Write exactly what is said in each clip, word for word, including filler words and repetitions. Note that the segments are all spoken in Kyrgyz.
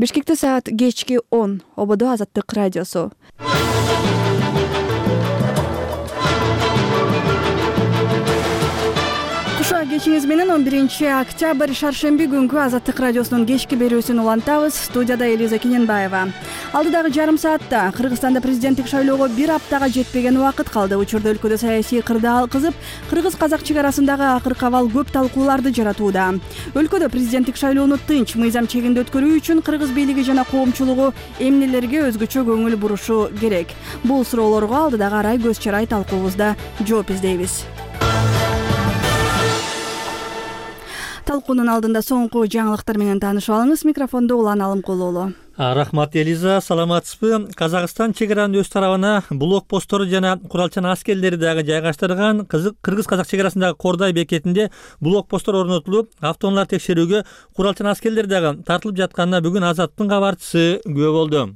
Бишкекте саат кечки он. Ободо Азаттык радиосу. Куша кечиңиз менен он биринчи октябрь шаршемби күнгү Азаттык радиосунун кечки берүүсүн улантабыз. Студияда Элиза Кененбаева. Алдыдагы жарым саатта Кыргызстанда президенттик шайлоого бир аптага жетпеген убакыт калды. Учурда өлкөдө саясий кырдаал кызып, кыргыз-казак чек арасындагы акыркы абал көп талкууларды жаратууда. Өлкөдө президенттик шайлоону тынч, мыйзам чегинде өткөрүү үчүн кыргыз бийлиги жана коомчулугу эмнелерге өзгөчө көңүл бурушу керек? Бул суроолорго алдыдагы арай көз чарай талкуубузда жооп издейбиз. Талкуунун алдында соңку жаңылыктар менен таанышып алыңыз. Микрофондо Улан Алымкулуулу. Рахмат Элиза, саламатсызбы? Казакстан чек аранын өз тарабына блокпосттору жана куралчан аскерлери дагы жайгаштырган. Кыргыз-казак чек арасындагы Кордай бекетинде блокпосттор орнотулуп, автоунаалар текшерүүгө куралчан аскерлер дагы тартылып жатканына бүгүн Азаттын кабарчысы күбө болду.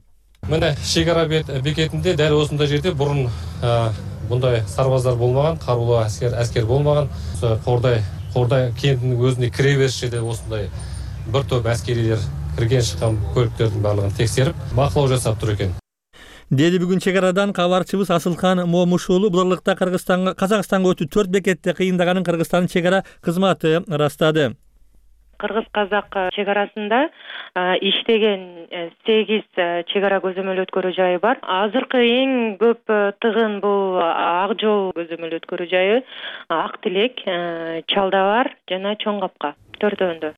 Мына чек ара бекетинде дәл осундай жерде бурун мындай сарбаздар болмаган, каруулуу аскер аскер болмаган. Кордай Кордай кентинин өзүнө кире бериш жерде осундай бир топ аскерилер кирген чыккан көлүктөрдүн баардыгын текшерип, бакылоо жасап тур экен. Деди бүгүн чек арадан кабарчыбыз Асылкан Момушулу. Бул аралыкта Кыргызстанга, Казакстанга өтүү төрт бекетте кыйындаганын Кыргызстандын чек ара кызматы ырастады. Кыргыз-казак чек арасында иштеген сегиз чек ара көзөмөл өткөрүү жайы бар. Азыркы эң көп тыгын бул Ак Жол көзөмөл өткөрүү жайы, Ак Тилек, Чалдабар жана Чоң Капка төртөөндө.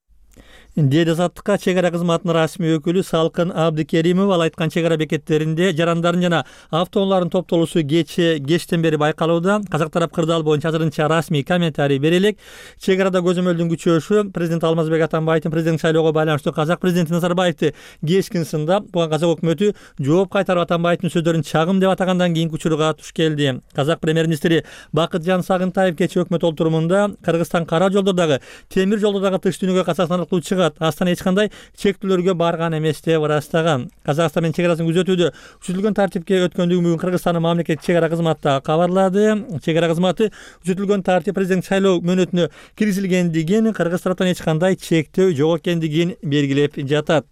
Деди Азаттыкка чек ара кызматынын расмий өкүлү Салкын Абдыкеримов. Ал айткан чек ара бекеттеринде жарандардын жана автоунаалардын топтолуусу кече кечтен бери байкалууда. Казак тарап кырдаал боюнча азырынча расмий комментарий бере элек. Чек арада көзөмөлдүн күчөшү президент Алмазбек Атамбаевдин президенттик шайлоого байланыштуу казак президенти Назарбаевди кечкин сындап, буга казак өкмөтү жооп кайтарып Атамбаевдин сөздөрүн чагым деп атагандан кийинки учурга туш келди. Казак премьер-министри Бакытжан Сагынтаев кечээ өкмөт олтурумунда Кыргызстан кара жолдордогу, темир жолдордогу тыштүнүгө Казакстан аркылуу чыгат, Астана эч кандай чектөөлөргө барган эмес деп ырастаган. Казакстан менен чек арасын күзөтүүдө күчөтүлгөн тартипке өткөндүгүн бүгүн Кыргызстандын мамлекеттик чек ара кызматы кабарлады. Чек ара кызматы күчөтүлгөн тартип президент шайлоо мөөнөтүнө киргизилгендигин, Кыргыз тараптан эч кандай чектөө жок экендигин белгилеп жатат.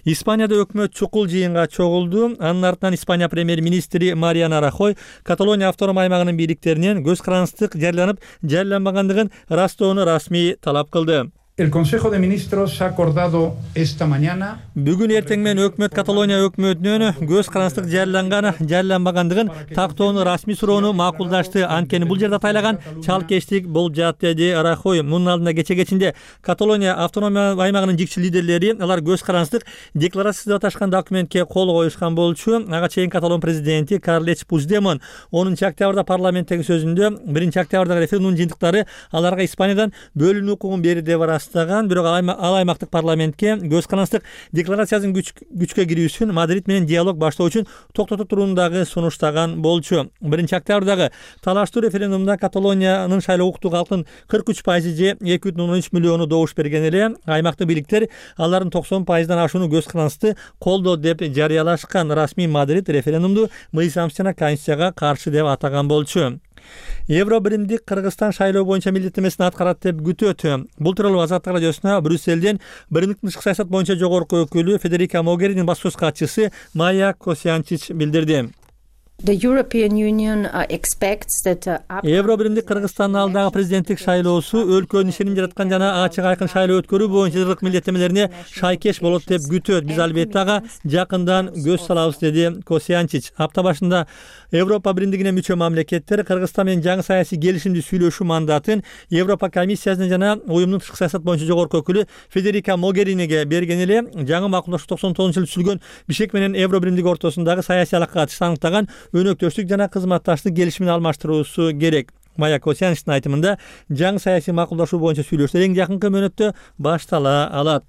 Испанияда өкмөт чукул жыйынга чогулду. Анын артынан Испания премьер-министри Мариано Рахой Каталония автоном аймагынын бийликтеринен көз карандык жарыяланып, жарыяланбагандыгын ырастоону расмий талап кылды. El Consejo de Ministros ha acordado esta mañana. Бүгүн эртең менен өкмөт Каталония өкмөтүнөн көз карандык жарыяланган, жарыяланбагандыгын тактоону расмий суроону макулдашты. Анткени бул жерде атайлаган чалкештик болуп жатат, деди Рахой. Мунун алдында кече кечинде Каталония автономия аймагынын жикчи лидерлери алар көз карандык декларация деп аташкан документке кол коюшкан болчу. Ага чейин Каталон президенти Карлеч Пучдемон онунчу октябрда парламенттеги сөзүндө биринчи октябрдагы референдум жыйынтыктары аларга Испаниядан бөлүнүү укугун берди деп ырастаган. Бирок ал аймактык парламентке көз карандык декларациясынын күчкө кирүүсүн Мадрид менен диалог баштоо үчүн токтото турундагы сунуштаган болчу. биринчи октябрдагы талаштуу референдумда Каталониянын шайлоо укуктуу калктын кырк үч пайызы же эки бүтүн ондон үч миллиону добуш берген эле. Аймактык бийликтер алардын токсон пайыздан ашууну көз карандыкты колдоо деп жарыялашкан. Расмий Мадрид референдумду мыйзам жана конституцияга каршы деп атаган болчу. Евро биримдик Кыргызстан шайлоо боюнча милдеттемесин аткарат деп күтөт. Бул тууралуу Азаттык радиосуна Брюсселден биримдик тышкы саясат боюнча жогорку өкүлү Федерика Могеринин баспасөз катчысы Майя Косянчич билдирди. The European Union uh, expects that uh, Евро биримдик Кыргызстандын алдагы президенттик шайлоосу өлкөнүн ишеним жараткан жана ачык айкын шайлоо өткөрүү боюнча жылдык милдеттемелерине шайкеш болот деп күтөт. Биз албетте ага жакындан көз салабыз, деди Косянчич. Апта башында Европа биримдигине мүчө мамлекеттер Кыргызстан менен жаңы саясий келишимди сүйлөшүү мандатын Европа комиссиясына жана уюмдун тышкы саясат боюнча жогорку өкүлү Федерика Могериниге берген эле. Жаңы макулдашуу токсон тогузунчу жылы түзүлгөн Бишкек менен Евро биримдиги ортосундагы саясий алакага чаңдаган өнөктөштүк жана кызматташтык келишимин алмаштыруусу керек. Майя Косянчтын айтымында жаңы саясий макулдашуу боюнча сүйлөшүүлөр эң жакынкы мөөнөттө баштала алат.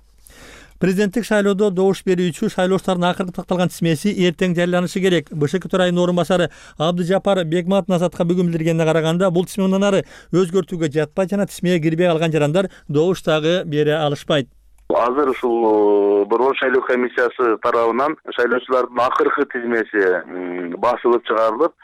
Президенттик шайлоодо добуш берүүчү шайлоочулардын акыркы такталган тизмеси эртең жарыяланышы керек. БШК төрайымынын орун басары Абдыжапар Бегмат Азатка бүгүн билдиргенине караганда, бул тизме мындан ары өзгөртүүгө жатпайт жана тизмеге кирбей калган жарандар добуш дагы бере алышпайт. Азыр ушул борбор шайлоо комиссиясы тарабынан шайлоочулардын акыркы тизмеси басылып чыгарылып,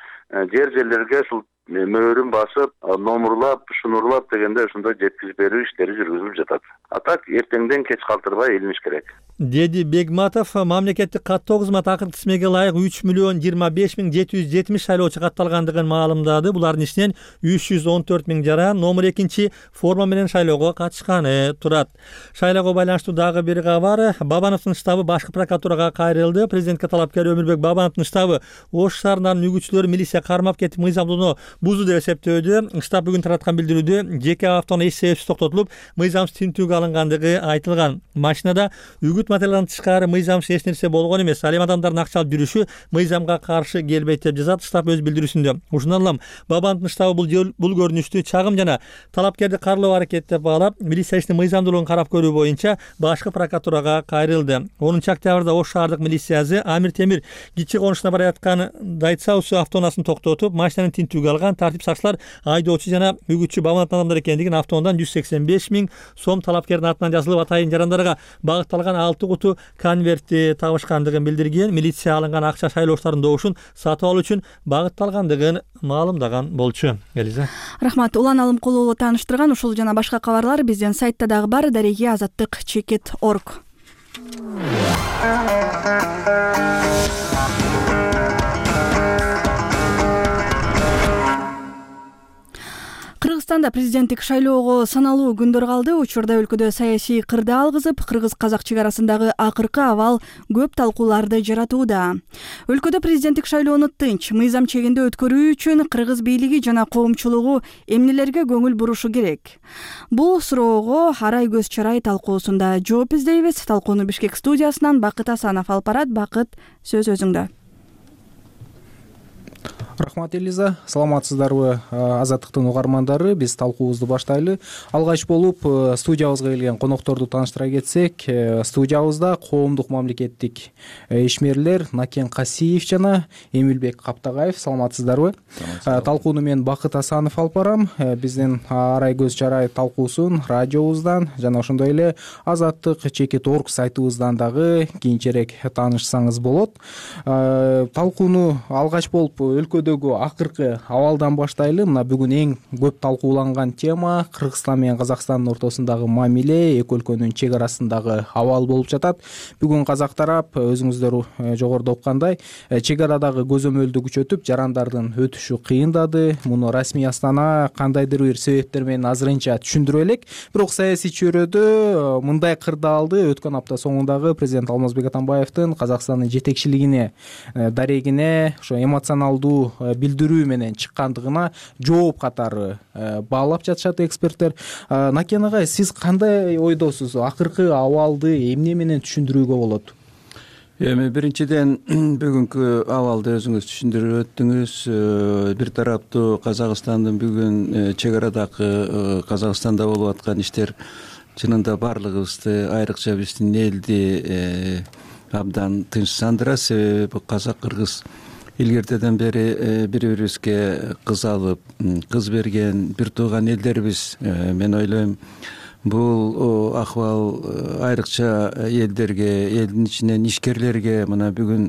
жер жерлерге ушул мөөрүн басып, номурлап, шунурлап дегенде ошондой жеткизип берүү иштери жүргүзүлүп жатат. А так эртеңден кеч калтырбай илиниш керек, деди Бегматов. Мамлекеттик каттоо кызматы акыркы тизмеге ылайык үч миллион жыйырма беш миң жети жүз жетимиш шайлоочу катталгандыгын маалымдады. Булардын ичинен үч жүз он төрт миң жаран номер экинчи форма менен шайлоого катышканы турат. Шайлоого байланыштуу дагы бир кабар. Бабановдун штабы башкы прокуратурага кайрылды. Президентке талапкер Өмүрбек Бабановдун штабы Ош шаарынын нүгүчүлөрү милиция кармап кетип мыйзамдууну бузду деп эсептөөдө. Штаб бүгүн тараткан билдирүүдө жеке автоунаа эч себепсиз токтотулуп, мыйзамсыз тинтүүгө алынгандыгы айтылган. Машинада үгүт материалдан тышкары мыйзамсыз эч нерсе болгон эмес. Ал эми адамдардын акча алып жүрүшү мыйзамга каршы келбейт деп жазат штаб өз билдирүүсүндө. Ушундан улам Бабановдун штабы бул бул көрүнүштү чагым жана талапкерди карлоо аракети деп баалап, милиция ишинин мыйзамдуулугун карап көрүү боюнча башкы прокуратурага кайрылды. онунчу октябрда Ош шаардык милициясы Амир Темир Кичи конушуна бара жаткан Дайцаусу автоунаасын токтотуп, машинаны тинтүүгө алган. Тартип сакчылар айдоочу жана үгүтчү Бабановдун адамдар экендигин, автоунаадан жүз сексен беш миң сом талапкердин атынан жазылып атайын жарандарга багытталган алты куту конвертти табышкандыгын билдирген. Милиция алынган акча шайлоочулардын добушун сатып алуу үчүн багытталгандыгын маалымдаган болчу. Элиза. Рахмат. Улан Алымкулуу тааныштырган. Ушул жана башка кабарлар биздин сайтта дагы бар. Дареги азаттык чекит точка орг. Кыргызстанда президенттик шайлоого саналуу күндөр калды. Учурда өлкөдө саясий кырдаал кызып, кыргыз-казак чек арасындагы акыркы абал көп талкууларды жаратууда. Өлкөдө президенттик шайлоону тынч, мыйзам чегинде өткөрүү үчүн кыргыз бийлиги жана коомчулугу эмнелерге көңүл бурушу керек? Бул суроого Арай көз чарай талкуусунда жооп издейбиз. Талкууну Бишкек студиясынан Бакыт Асанов алып барат. Бакыт, сөз өзүңдө. Рахмат, Элиза. Саламатсыздарбы, Азаттыктын угармандары? Биз талкуубузду баштайлы. Алгач болуп студиябызга келген конокторду тааныштыра кетсек, студиябызда коомдук мамлекеттик ишмерлер Накен Касиев жана Эмилбек Каптагаев. Саламатсыздарбы? Талкууну мен Бакыт Асанов алып барам. Биздин Арай көз чарай талкуусун радиобуздан жана ошондой эле азаттык чекит точка орг сайтыбыздан дагы кийинчерээк таанышсаңыз болот. Талкууну алгач болуп өлкөдөгү акыркы абалдан баштайлы. Мына бүгүн эң көп талкууланган тема Кыргызстан менен Казакстандын ортосундагы мамиле, эки өлкөнүн чек арасындагы абал болуп жатат. Бүгүн казак тарап өзүңүздөр жогоруда уккандай чек арадагы көзөмөлдү күчөтүп, жарандардын өтүшү кыйындады. Муну расмий Астана кандайдыр бир себептер менен азырынча түшүндүрө элек. Бирок саясий чөйрөдө мындай кырдаалды өткөн апта соңундагы президент Алмазбек Атамбаевдин Казакстандын жетекчилигине, дарегине ошо эмоционалдуу билдирүү менен чыккандыгына жооп катары баалап жатышат эксперттер. Накен агай, сиз кандай ойдосуз? Акыркы абалды эмне менен түшүндүрүүгө болот? Эми биринчиден бүгүнкү абалды өзүңүз түшүндүрүп өттүңүз. Бир тараптуу Казакстандын бүгүн чек арадагы Казакстанда болуп аткан иштер чынында баардыгыбызды, айрыкча биздин элди абдан тынчсандырат. Себеби казак кыргыз илгертеден бери бири-бирибизге кыз алып, кыз берген бир тууган элдербиз. Мен ойлойм, бул акыбал айрыкча элдерге, элдин ичинен ишкерлерге мына бүгүн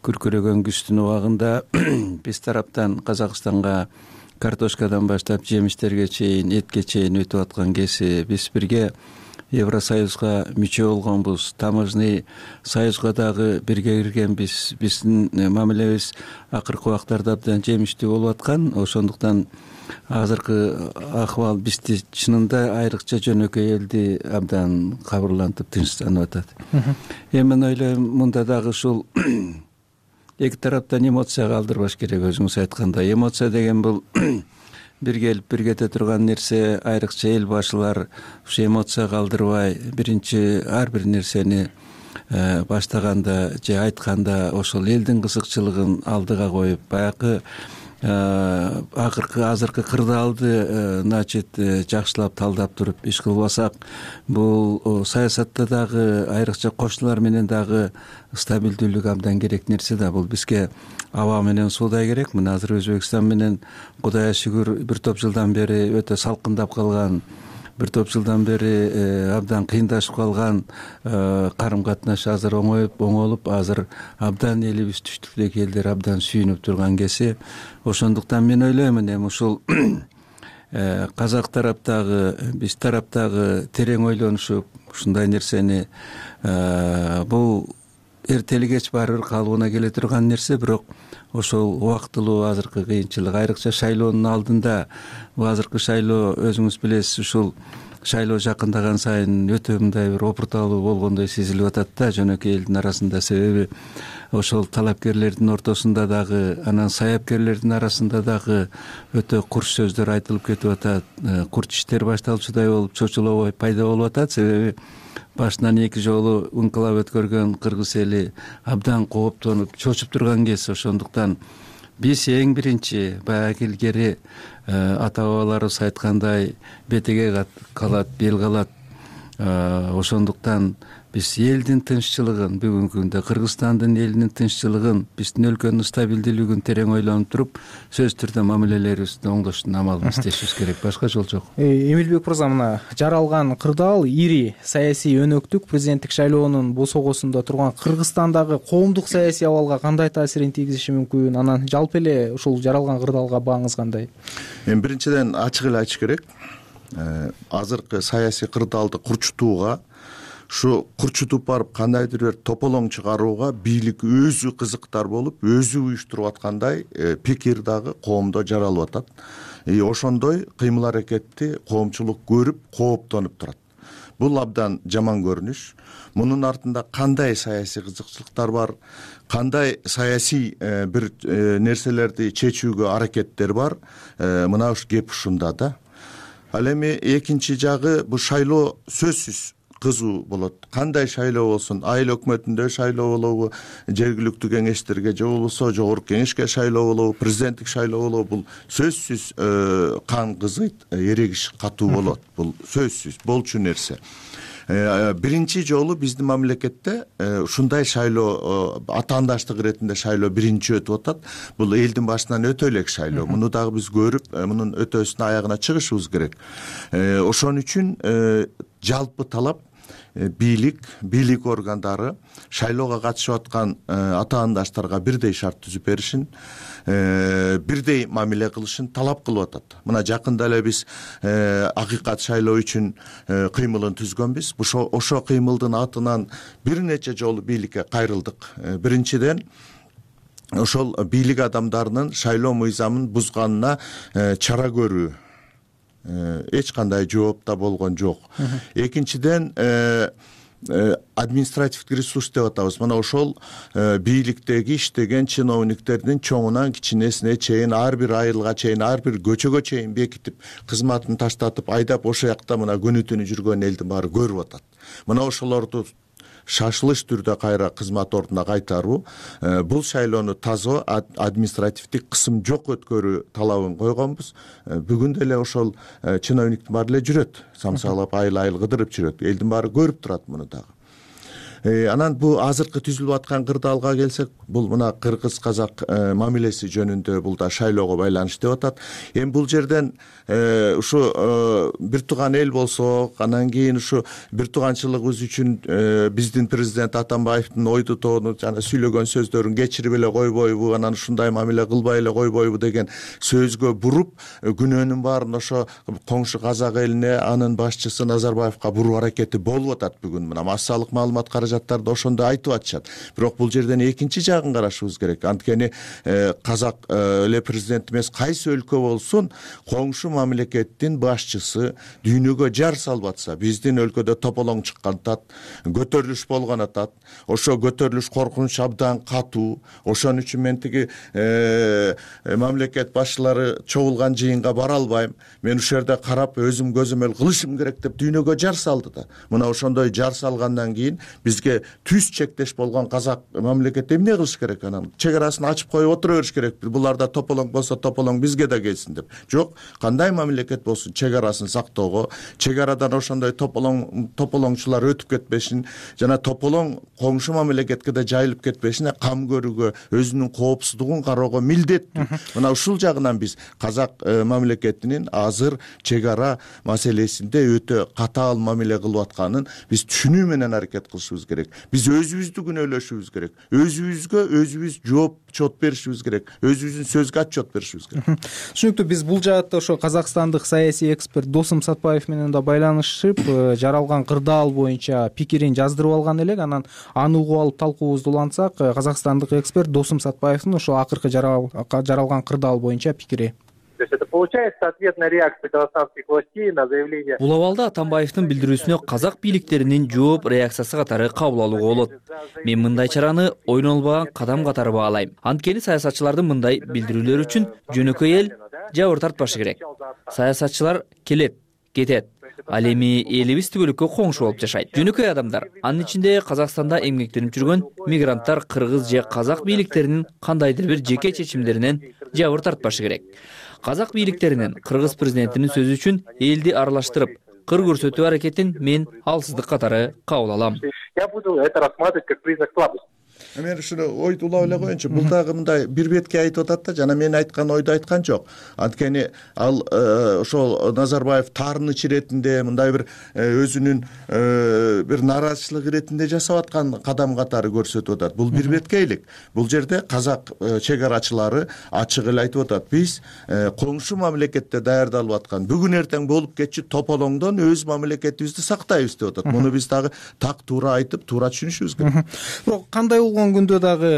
күркүрөгөн күздүн убагында биз тараптан Казакстанга картошкадан баштап жемиштерге чейин, этке чейин өтүп аткан кези биз бирге Евросоюзга мүчө болгонбуз. Таможный союзга дагы бирге киргенбиз. Биздин мамилебиз акыркы убактарда абдан жемиштүү болуп аткан. Ошондуктан азыркы акыбал бизди чынында айрыкча жөнөкөй элди абдан кабырлантып, тынчсыздандырып атат. Эми мен ойлойм, мында дагы ушул эки тараптан эмоция калтырбаш керек. Өзүңүз айткандай, эмоция деген бул бир келип бир кете турган нерсе. Айрыкча эл башылар ушу эмоция калтырбай, биринчи ар бир нерсени баштаганда же айтканда ошол элдин кызыкчылыгын алдыга коюп, баягы акыркы азыркы кырдаалды значит жакшылап талдап туруп иш кылбасак, бул саясатта дагы айрыкча кошуналар менен дагы стабилдүүлүк абдан керек нерсе да. Бул бизге аба менен суудай керек. Мына азыр Өзбекстан менен Кудайга шүгүр бир топ жылдан бери өтө салкындап калган, бир топ жылдан бери абдан кыйындашып калган карым катнаш азыр оңоюп, оңолуп, азыр абдан элибиз түштүктөгү элдер абдан сүйүнүп турган кези. Ошондуктан мен ойлоймун, эми ушул казак тараптагы биз тараптагы терең ойлонушуп ушундай нерсени бул эртели кеч баары бир калыбына келе турган нерсе, бирок ошол убактылуу азыркы кыйынчылык, айрыкча шайлоонун алдында, бул азыркы шайлоо өзүңүз билесиз, ушул шайлоо жакындаган сайын өтө мындай бир опурталуу болгондой сезилип атат да жөнөкөй элдин арасында. Себеби ошол талапкерлердин ортосунда дагы, анан саяпкерлердин арасында дагы өтө курч сөздөр айтылып кетип атат, курч иштер башталчудай болуп, чочулоо пайда болуп атат. Себеби башынан эки жолу инкылап өткөргөн кыргыз эли абдан кооптонуп, чочуп турган кез. Ошондуктан биз эң биринчи баягы илгери ата бабаларыбыз айткандай бетеге калат, бел калат. Ошондуктан биз элдин тынччылыгын, бүгүнкү күндө Кыргызстандын элинин тынччылыгын, биздин өлкөнүн стабилдүүлүгүн терең ойлонуп туруп, сөзсүз түрдө мамилелерибизди оңдоштун амалын издешибиз керек. Башка жол жок. Эмилбек мырза, мына жаралган кырдаал ири саясий өнөктүк президенттик шайлоонун босогосунда турган Кыргызстандагы коомдук саясий абалга кандай таасирин тийгизиши мүмкүн? Анан жалпы эле ушул жаралган кырдаалга бааңыз кандай? Эми биринчиден ачык эле айтыш керек. Азыркы саясий кырдаалды курчутууга, ушу курчутуп барып кандайдыр бир тополоң чыгарууга бийлик өзү кызыктар болуп, өзү уюштуруп аткандай пикир дагы коомдо жаралып атат. И ошондой кыймыл аракетти коомчулук көрүп, кооптонуп турат. Бул абдан жаман көрүнүш. Мунун артында кандай саясий кызыкчылыктар бар, кандай саясий бир нерселерди чечүүгө аракеттер бар, мына ушу кеп ушунда да. Ал эми экинчи жагы, бул шайлоо сөзсүз кызуу болот. Кандай шайлоо болсун, айыл өкмөтүндө шайлоо болобу, жергиликтүү кеңештерге же болбосо жогорку кеңешке шайлоо болобу, президенттик шайлоо болобу, бул сөзсүз кан кызыйт, эрегиш катуу болот. Бул сөзсүз болчу нерсе. Биринчи жолу биздин мамлекетте ушундай шайлоо, атаандаштык иретинде шайлоо биринчи өтүп атат. Бул элдин башынан өтө элек шайлоо. Муну дагы биз көрүп, мунун өтөөсүнө аягына чыгышыбыз керек. Ошон үчүн жалпы талап бийлик, бийлик органдары шайлоого катышып аткан атаандаштарга бирдей шарт түзүп беришин, бирдей мамиле кылышын талап кылып атат. Мына жакында эле биз акыйкат шайлоо үчүн кыймылын түзгөнбүз. Ошо кыймылдын атынан бир нече жолу бийликке кайрылдык. Биринчиден, ошол бийлик адамдарынын шайлоо мыйзамын бузганына чара көрүү эч кандай жооп да болгон жок. Экинчиден, административдик ресурс деп атабыз. Мына ошол бийликтеги иштеген чиновниктердин чоңунан кичинесине чейин, ар бир айылга чейин, ар бир көчөгө чейин бекитип, кызматын таштатып, айдап ошол жакта мына күнү түнү жүргөн элдин баары көрүп атат. Мына ошолорду шашылыш түрдө кайра кызмат ордуна кайтаруу, бул шайлоону таза административдик кысым жок өткөрүү талабын койгонбуз. Бүгүн деле ошол чиновниктин баары эле жүрөт, самсаалап айыл айыл кыдырып жүрөт. Элдин баары көрүп турат муну дагы. Анан бул азыркы түзүлүп аткан кырдаалга келсек, бул мына кыргыз-казак мамилеси жөнүндө бул да шайлоого байланыштуу деп атат. Эми бул жерден ушу бир тууган эл болсок, анан кийин ушу бир тууганчылыгыбыз үчүн биздин президент Атамбаевдин ойду тоону жана сүйлөгөн сөздөрүн кечирип эле койбойбу, анан ушундай мамиле кылбай эле койбойбу деген сөзгө буруп, күнөөнүн баарын ошо коңшу казак элине, анын башчысы Назарбаевка буруу аракети болуп атат бүгүн. Мына массалык маалымат каражаттарды ошондо айтып атышат. Бирок бул жерден экинчи жагын карашыбыз керек. Анткени казак эле президент эмес, кайсы өлкө болсун, коңшу мамлекеттин башчысы дүйнөгө жар салып атса, биздин өлкөдө тополоң чыккан атат, көтөрүлүш болгон атат. Ошо көтөрүлүш коркунуч абдан катуу. Ошон үчүн мен тиги мамлекет башчылары чогулган жыйынга бара албайм, мен ушул жерде карап өзүм көзөмөл кылышым керек деп дүйнөгө жар салды да. Мына ошондой жар салгандан кийин бизге түз чектеш болгон казак мамлекет эмне кылыш керек? Анан чек арасын ачып коюп отура бериш керек. Буларда тополоң болсо тополоң бизге да келсин деп. Жок, кандай мамлекет болсун, чек арасын сактоого, чек арадан ошондой тополоң тополоңчулар өтүп кетпешин, жана тополоң коңшу мамлекетке да жайылып кетпешине кам көрүүгө, өзүнүн коопсуздугун кароого милдеттүү. Мына ушул жагынан биз казак мамлекетинин азыр чек ара маселесинде өтө катаал мамиле кылып атканын биз түшүнүү менен аракет кылышыбыз керек. керек. Биз өзүбүздү күнөөлөшүбүз керек. Өзүбүзгө өзүбүз жооп чот беришибиз керек. Өзүбүздүн сөзгө отчет беришибиз керек. Түшүнүктүү. Биз бул жаатта ошо казакстандык саясий эксперт Досум Сатпаев менен да байланышып, жаралган кырдаал боюнча пикирин жаздырып алган элек. Анан аны угуп алып талкуубузду улантсак, казакстандык эксперт Досум Сатпаевдин ошо акыркы жаралган кырдаал боюнча пикири. То есть это получается ответная реакция казахстанских властей на заявление. Бул абалда Атамбаевдин билдирүүсүнө казак бийликтеринин жооп реакциясы катары кабыл алууга болот. Мен мындай чараны ойнолбогон кадам катары баалайм. Анткени саясатчылардын мындай билдирүүлөрү үчүн жөнөкөй эл жабыр тартпашы керек. Саясатчылар келет, кетет. Ал эми элибиз түбөлүккө коңшу болуп жашайт. Жөнөкөй адамдар, анын ичинде Казакстанда эмгектенип жүргөн мигранттар кыргыз же казак бийликтеринин кандайдыр бир жеке чечимдеринен жабыр тартпашы керек. Казак бийликтеринин кыргыз президентинин сөзү үчүн элди аралаштырып, кыр көрсөтүү аракетин мен алсыздык катары кабыл алам. Я буду это рассматривать как признак слабости. Мен ушуну ойду улап эле коеюнчу. Бул дагы мындай бир бетке айтып атат да, жана мен айткан ойду айткан жок. Анткени ал ошол Назарбаев таарыныч иретинде мындай бир өзүнүн бир нааразычылык иретинде жасап аткан кадам катары көрсөтүп атат. Бул бир беткейлик. Бул жерде казак чек арачылары ачык эле айтып атат. Биз коңшу мамлекетте даярдалып аткан бүгүн эртең болуп кетчү тополоңдон өз мамлекетибизди сактайбыз деп атат. Муну биз дагы так туура айтып, туура түшүнүшүбүз керек. Бирок кандай болгон күндө дагы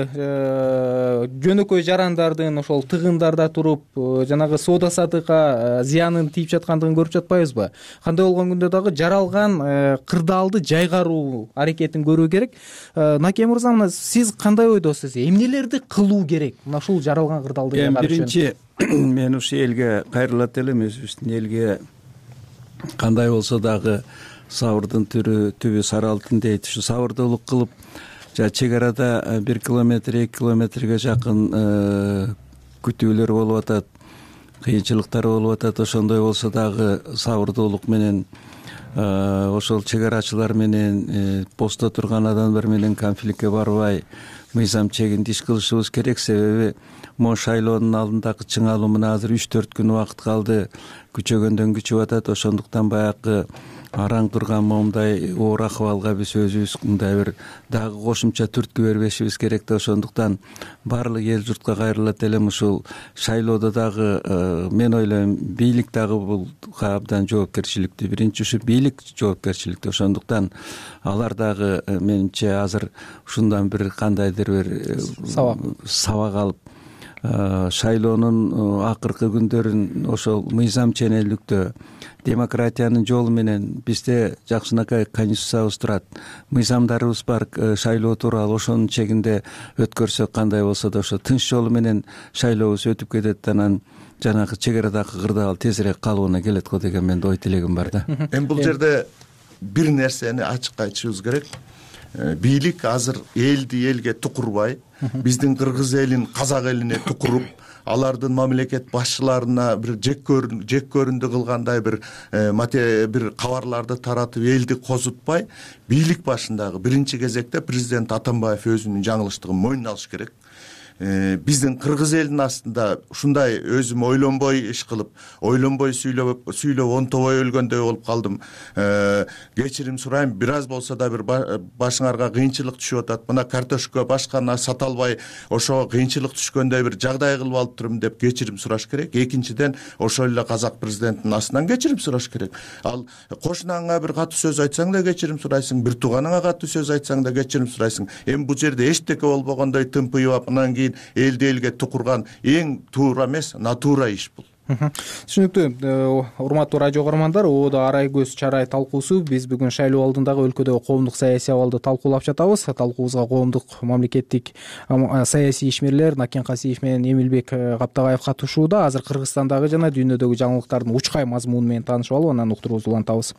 жөнөкөй жарандардын ошол тыгындарда туруп жанагы соода саттыкка зыянын тийип жаткандыгын көрүп жатпайбызбы? Кандай болгон күндө дагы жаралган кырдаалды жайгаруу аракетин көрүү керек. Наке мырза, мына сиз кандай ойдосуз? Эмнелерди кылуу керек мына ушул жаралган кырдаалды жайгаруу үчүн? Биринчи мен ушу элге кайрылат элем, өзүбүздүн элге кандай болсо дагы сабырдын түрү түбү сары алтын дейт. Ушу сабырдуулук кылып, чек арада бир километр, эки километрге жакын күтүүлөр болуп атат, кыйынчылыктар болуп атат. Ошондой болсо дагы сабырдуулук менен ошол чек арачылар менен постто турган адамдар менен конфликтке барбай, мыйзам чегинде иш кылышыбыз керек. Себеби могу шайлоонун алдындагы чыңалуу мына азыр үч төрт күн убакыт калды, күчөгөндөн күчүп атат. Ошондуктан баягы араң турган моундай оор акыбалга биз өзүбүз мындай бир дагы кошумча түрткү бербешибиз керек да. Ошондуктан баардык эл журтка кайрылат элем. Ушул шайлоодо дагы мен ойлойм бийлик дагы бул абдан жоопкерчиликтүү. Биринчи ушу бийлик жоопкерчиликтүү. Ошондуктан алар дагы менимче азыр ушундан бир кандайдыр бир сабак сабак алып шайлоонун акыркы күндөрүн ошол мыйзам ченелдүктө, демократиянын жолу менен бизде жакшынакай конституциябыз турат, мыйзамдарыбыз бар, шайлоо тууралуу ошонун чегинде өткөрсөк кандай болсо да ошо тынч жолу менен шайлообуз өтүп кетет. Анан жанагы чек арадагы кырдаал тезирээк калыбына келет го деген менин ой тилегим бар да. Эми бул жерде бир нерсени ачык айтышыбыз керек. Бийлик азыр элди элге тукурбай, биздин кыргыз элин казак элине тукуруп, алардын мамлекет башчыларына бир жек көрүндү кылгандай бир бир кабарларды таратып элди козутпай, бийлик башындагы биринчи кезекте президент Атамбаев өзүнүн жаңылыштыгын мойнуна алыш керек. Биздин кыргыз элинин астында ушундай өзүм ойлонбой иш кылып, ойлонбой сүйлөп сүйлөп онтобой өлгөндөй болуп калдым. Кечирим сурайм, бир аз болсо да бир башыңарга кыйынчылык түшүп атат. Мына картошка башканы сата албай, ошого кыйынчылык түшкөндөй бир жагдай кылып алып турмун деп кечирим сураш керек. Экинчиден, ошол эле казак президентинин астынан кечирим сураш керек. Ал кошунаңа бир катуу сөз айтсаң да кечирим сурайсың, бир тууганыңа катуу сөз айтсаң да кечирим сурайсың. Эми бул жерде эчтеке болбогондой тымпыйып, анан кийин элди элге тукурган эң туура эмес, натура иш бул. Түшүнүктүү. Урматтуу радио көрөрмандар, Оодо арай көз чарай талкуусу. Биз бүгүн шайлоо алдындагы өлкөдөгү коомдук саясий абалды талкуулап жатабыз. Талкуубузга коомдук мамлекеттик саясий ишмерлер Накен Касиев менен Эмилбек Каптагаев катышууда. Азыр Кыргызстандагы жана дүйнөдөгү жаңылыктардын учкай мазмуну менен таанышып алып, анан уктуруубузду улантабыз.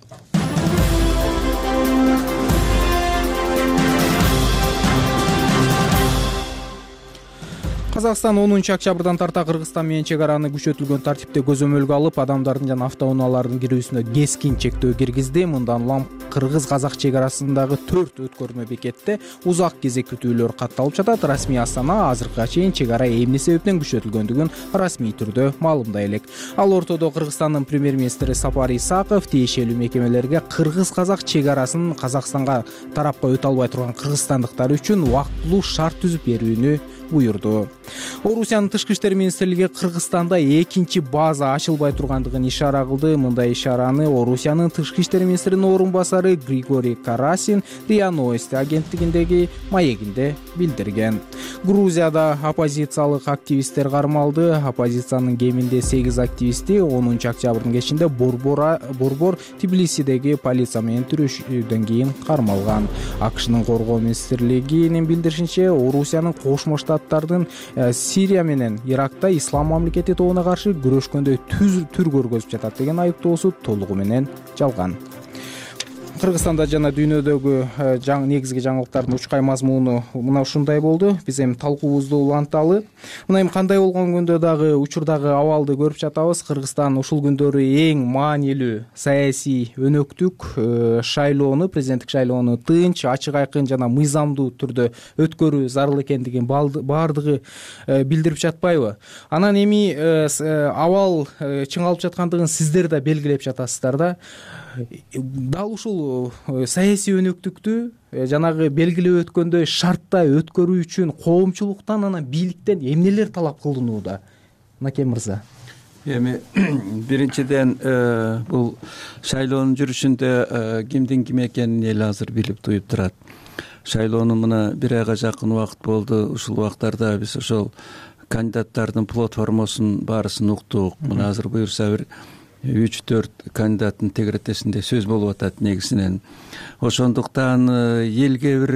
Казакстан онунчу октябрдан тарта Кыргызстан менен чек араны күчөтүлгөн тартипте көзөмөлгө алып, адамдардын жана автоунаалардын кирүүсүнө кескин чектөө киргизди. Мындан улам кыргыз-казак чек арасындагы төрт өткөрмө бекетте узак кезек күтүүлөр катталып жатат. Расмий Астана азыркыга чейин чек ара эмне себептен күчөтүлгөндүгүн расмий түрдө маалымдай элек. Ал ортодо Кыргызстандын премьер-министри Сапар Исаков тиешелүү мекемелерге кыргыз-казак чек арасын Казакстанга тарапка өтө албай турган кыргызстандыктар үчүн убактылуу шарт түзүп берүүнү буйурду. Орусиянын тышкы иштер министрлиги Кыргызстанда экинчи база ачылбай тургандыгын ишара кылды. Мындай ишараны Орусиянын тышкы иштер министринин орун басары Григорий Карасин РИА Новости агенттигиндеги маегинде билдирген. Грузияда оппозициялык активисттер кармалды. Оппозициянын кеминде сегиз активисти онунчу октябрдын кечинде Борбор Борбор Тбилисидеги полиция менен түрөшүүдөн кийин кармалган. АКШнын коргоо министрлигинин билдиришинче, Орусиянын Кошмо Штаттардын Сирия менен Иракта ислам мамлекети тобуна каршы күрөшкөндөй түр көргөзүп жатат деген айыптоосу толугу менен жалган. Кыргызстанда жана дүйнөдөгү жаңы негизги жаңылыктардын учкай мазмуну мына ушундай болду. Биз эми талкуубузду уланталы. Мына эми кандай болгон күндө дагы учурдагы абалды көрүп жатабыз. Кыргызстан ушул күндөрү эң маанилүү саясий өнөктүк шайлоону, президенттик шайлоону тынч, ачык айкын жана мыйзамдуу түрдө өткөрүү зарыл экендигин баардыгы билдирип жатпайбы? Анан эми абал чыңалып жаткандыгын сиздер да белгилеп жатасыздар да. Дал ушул саясий өнөктүктү жанагы белгилеп өткөндөй шартта өткөрүү үчүн коомчулуктан, анан бийликтен эмнелер талап кылынууда? Накем мырза. Эми биринчиден бул шайлоонун жүрүшүндө кимдин ким экенин эл азыр билип туюп турат. Шайлоонун мына бир айга жакын убакыт болду. Ушул убактарда биз ошол кандидаттардын платформосун баарысын уктук. Мына азыр буюрса бир үч төрт кандидаттын тегеретесинде сөз болуп атат негизинен. Ошондуктан элге бир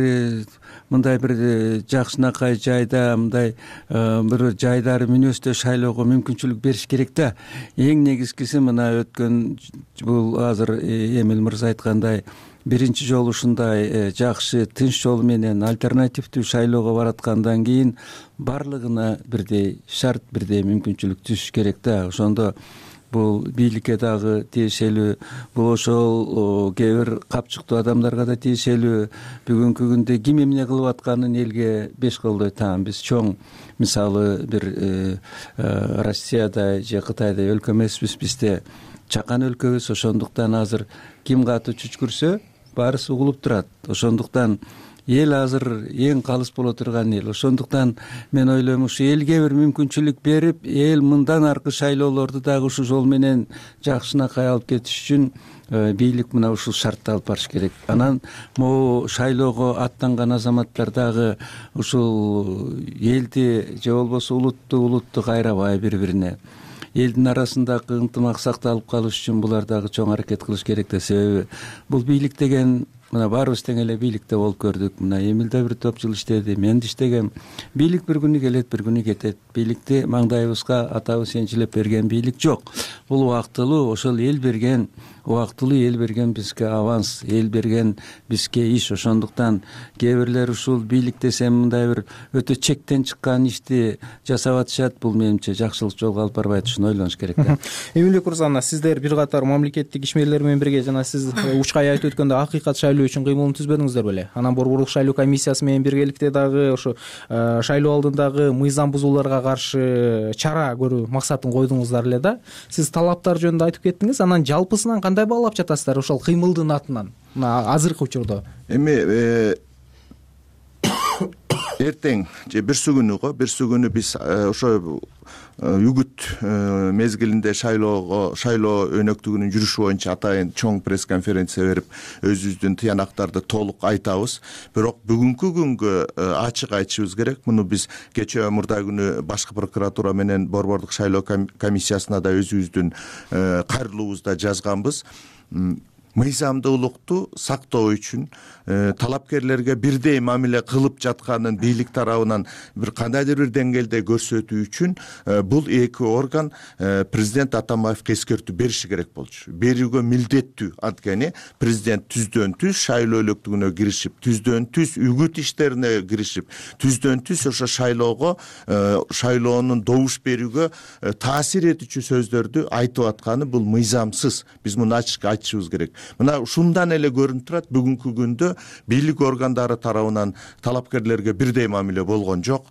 мындай бир жакшынакай жайда, мындай бир жайдары мүнөздө шайлоого мүмкүнчүлүк бериш керек да. Эң негизгиси мына өткөн бул азыр Эмил мырза айткандай биринчи жолу ушундай жакшы тынч жол менен альтернативдүү шайлоого бараткандан кийин барлыгына бирдей шарт, бирдей мүмкүнчүлүк түшүш керек да. Ошондо бул бийликке дагы тиешелүү, бул ошол кээ бир капчыктуу адамдарга да тиешелүү. Бүгүнкү күндө ким эмне кылып атканын элге беш колдой таам. Биз чоң, мисалы бир Россияда же Кытайда өлкө эмеспиз, бизде чакан өлкөбүз. Ошондуктан азыр ким катуу чүчкүрсө баарысы угулуп турат. Ошондуктан эл азыр эң калыс боло турган эл. Ошондуктан мен ойлойм, ушу элге бир мүмкүнчүлүк берип, эл мындан аркы шайлоолорду дагы ушул жол менен жакшынакай алып кетиш үчүн бийлик мына ушул шартты алып барыш керек. Анан могу шайлоого аттанган азаматтар дагы ушул элди же болбосо улутту улутту кайрабай бири-бирине, элдин арасындагы ынтымак сакталып калыш үчүн булар дагы чоң аракет кылыш керек да. Себеби бул бийлик деген мына баарыбыз тең эле бийликте болуп көрдүк. Мына Эмил да бир топ жыл иштеди, мен да иштегем. Бийлик бир күнү келет, бир күнү кетет. Бийликти маңдайыбызга атабыз энчилеп берген бийлик жок. Бул убактылуу, ошол эл берген, убактылуу эл берген бизге аванс, эл берген бизге иш. Ошондуктан кээ бирлер ушул бийлик десем мындай бир өтө чектен чыккан ишти жасап атышат. Бул менимче жакшылык жолго алып барбайт, ушуну ойлонуш керек да. Эмилбек мырза, сиздер бир катар мамлекеттик ишмерлер менен бирге жана сиз учкай айтып өткөндө акыйкат шайлоо үчүн кыймылын түзбөдүңүздөр беле? Анан борборлук шайлоо комиссиясы менен биргеликте дагы ошо шайлоо алдындагы мыйзам бузууларга каршы чара көрүү максатын койдуңуздар эле да. Сиз талаптар жөнүндө айтып кеттиңиз. Анан жалпысынан кандай баалап жатасыздар ошол кыймылдын атынан мына азыркы учурда? Эми эртең же бирсү күнү го бирсү күнү биз ошо үгүт мезгилинде шайлоого шайлоо өнөктүгүнүн жүрүшү боюнча атайын чоң пресс конференция берип өзүбүздүн тыянактарды толук айтабыз. Бирок бүгүнкү күнгө ачык айтышыбыз керек. Муну биз кечээ мурда күнү башкы прокуратура менен борборлук шайлоо комиссиясына да өзүбүздүн кайрылуубузда жазганбыз. мыйзамдуулукту сактоо үчүн талапкерлерге бирдей мамиле кылып жатканын бийлик тарабынан бир кандайдыр бир деңгээлде көрсөтүү үчүн бул эки орган президент Атамбаевге эскертүү бериши керек болчу, берүүгө милдеттүү. Анткени президент түздөн түз шайлоо өлөктүгүнө киришип, түздөн түз үгүт иштерине киришип, түздөн түз ошо шайлоого шайлоонун добуш берүүгө таасир этүүчү сөздөрдү айтып атканы бул мыйзамсыз. Биз муну ачык айтышыбыз керек. Мына ушундан эле көрүнүп турат, бүгүнкү күндө бийлик органдары тарабынан талапкерлерге бирдей мамиле болгон жок.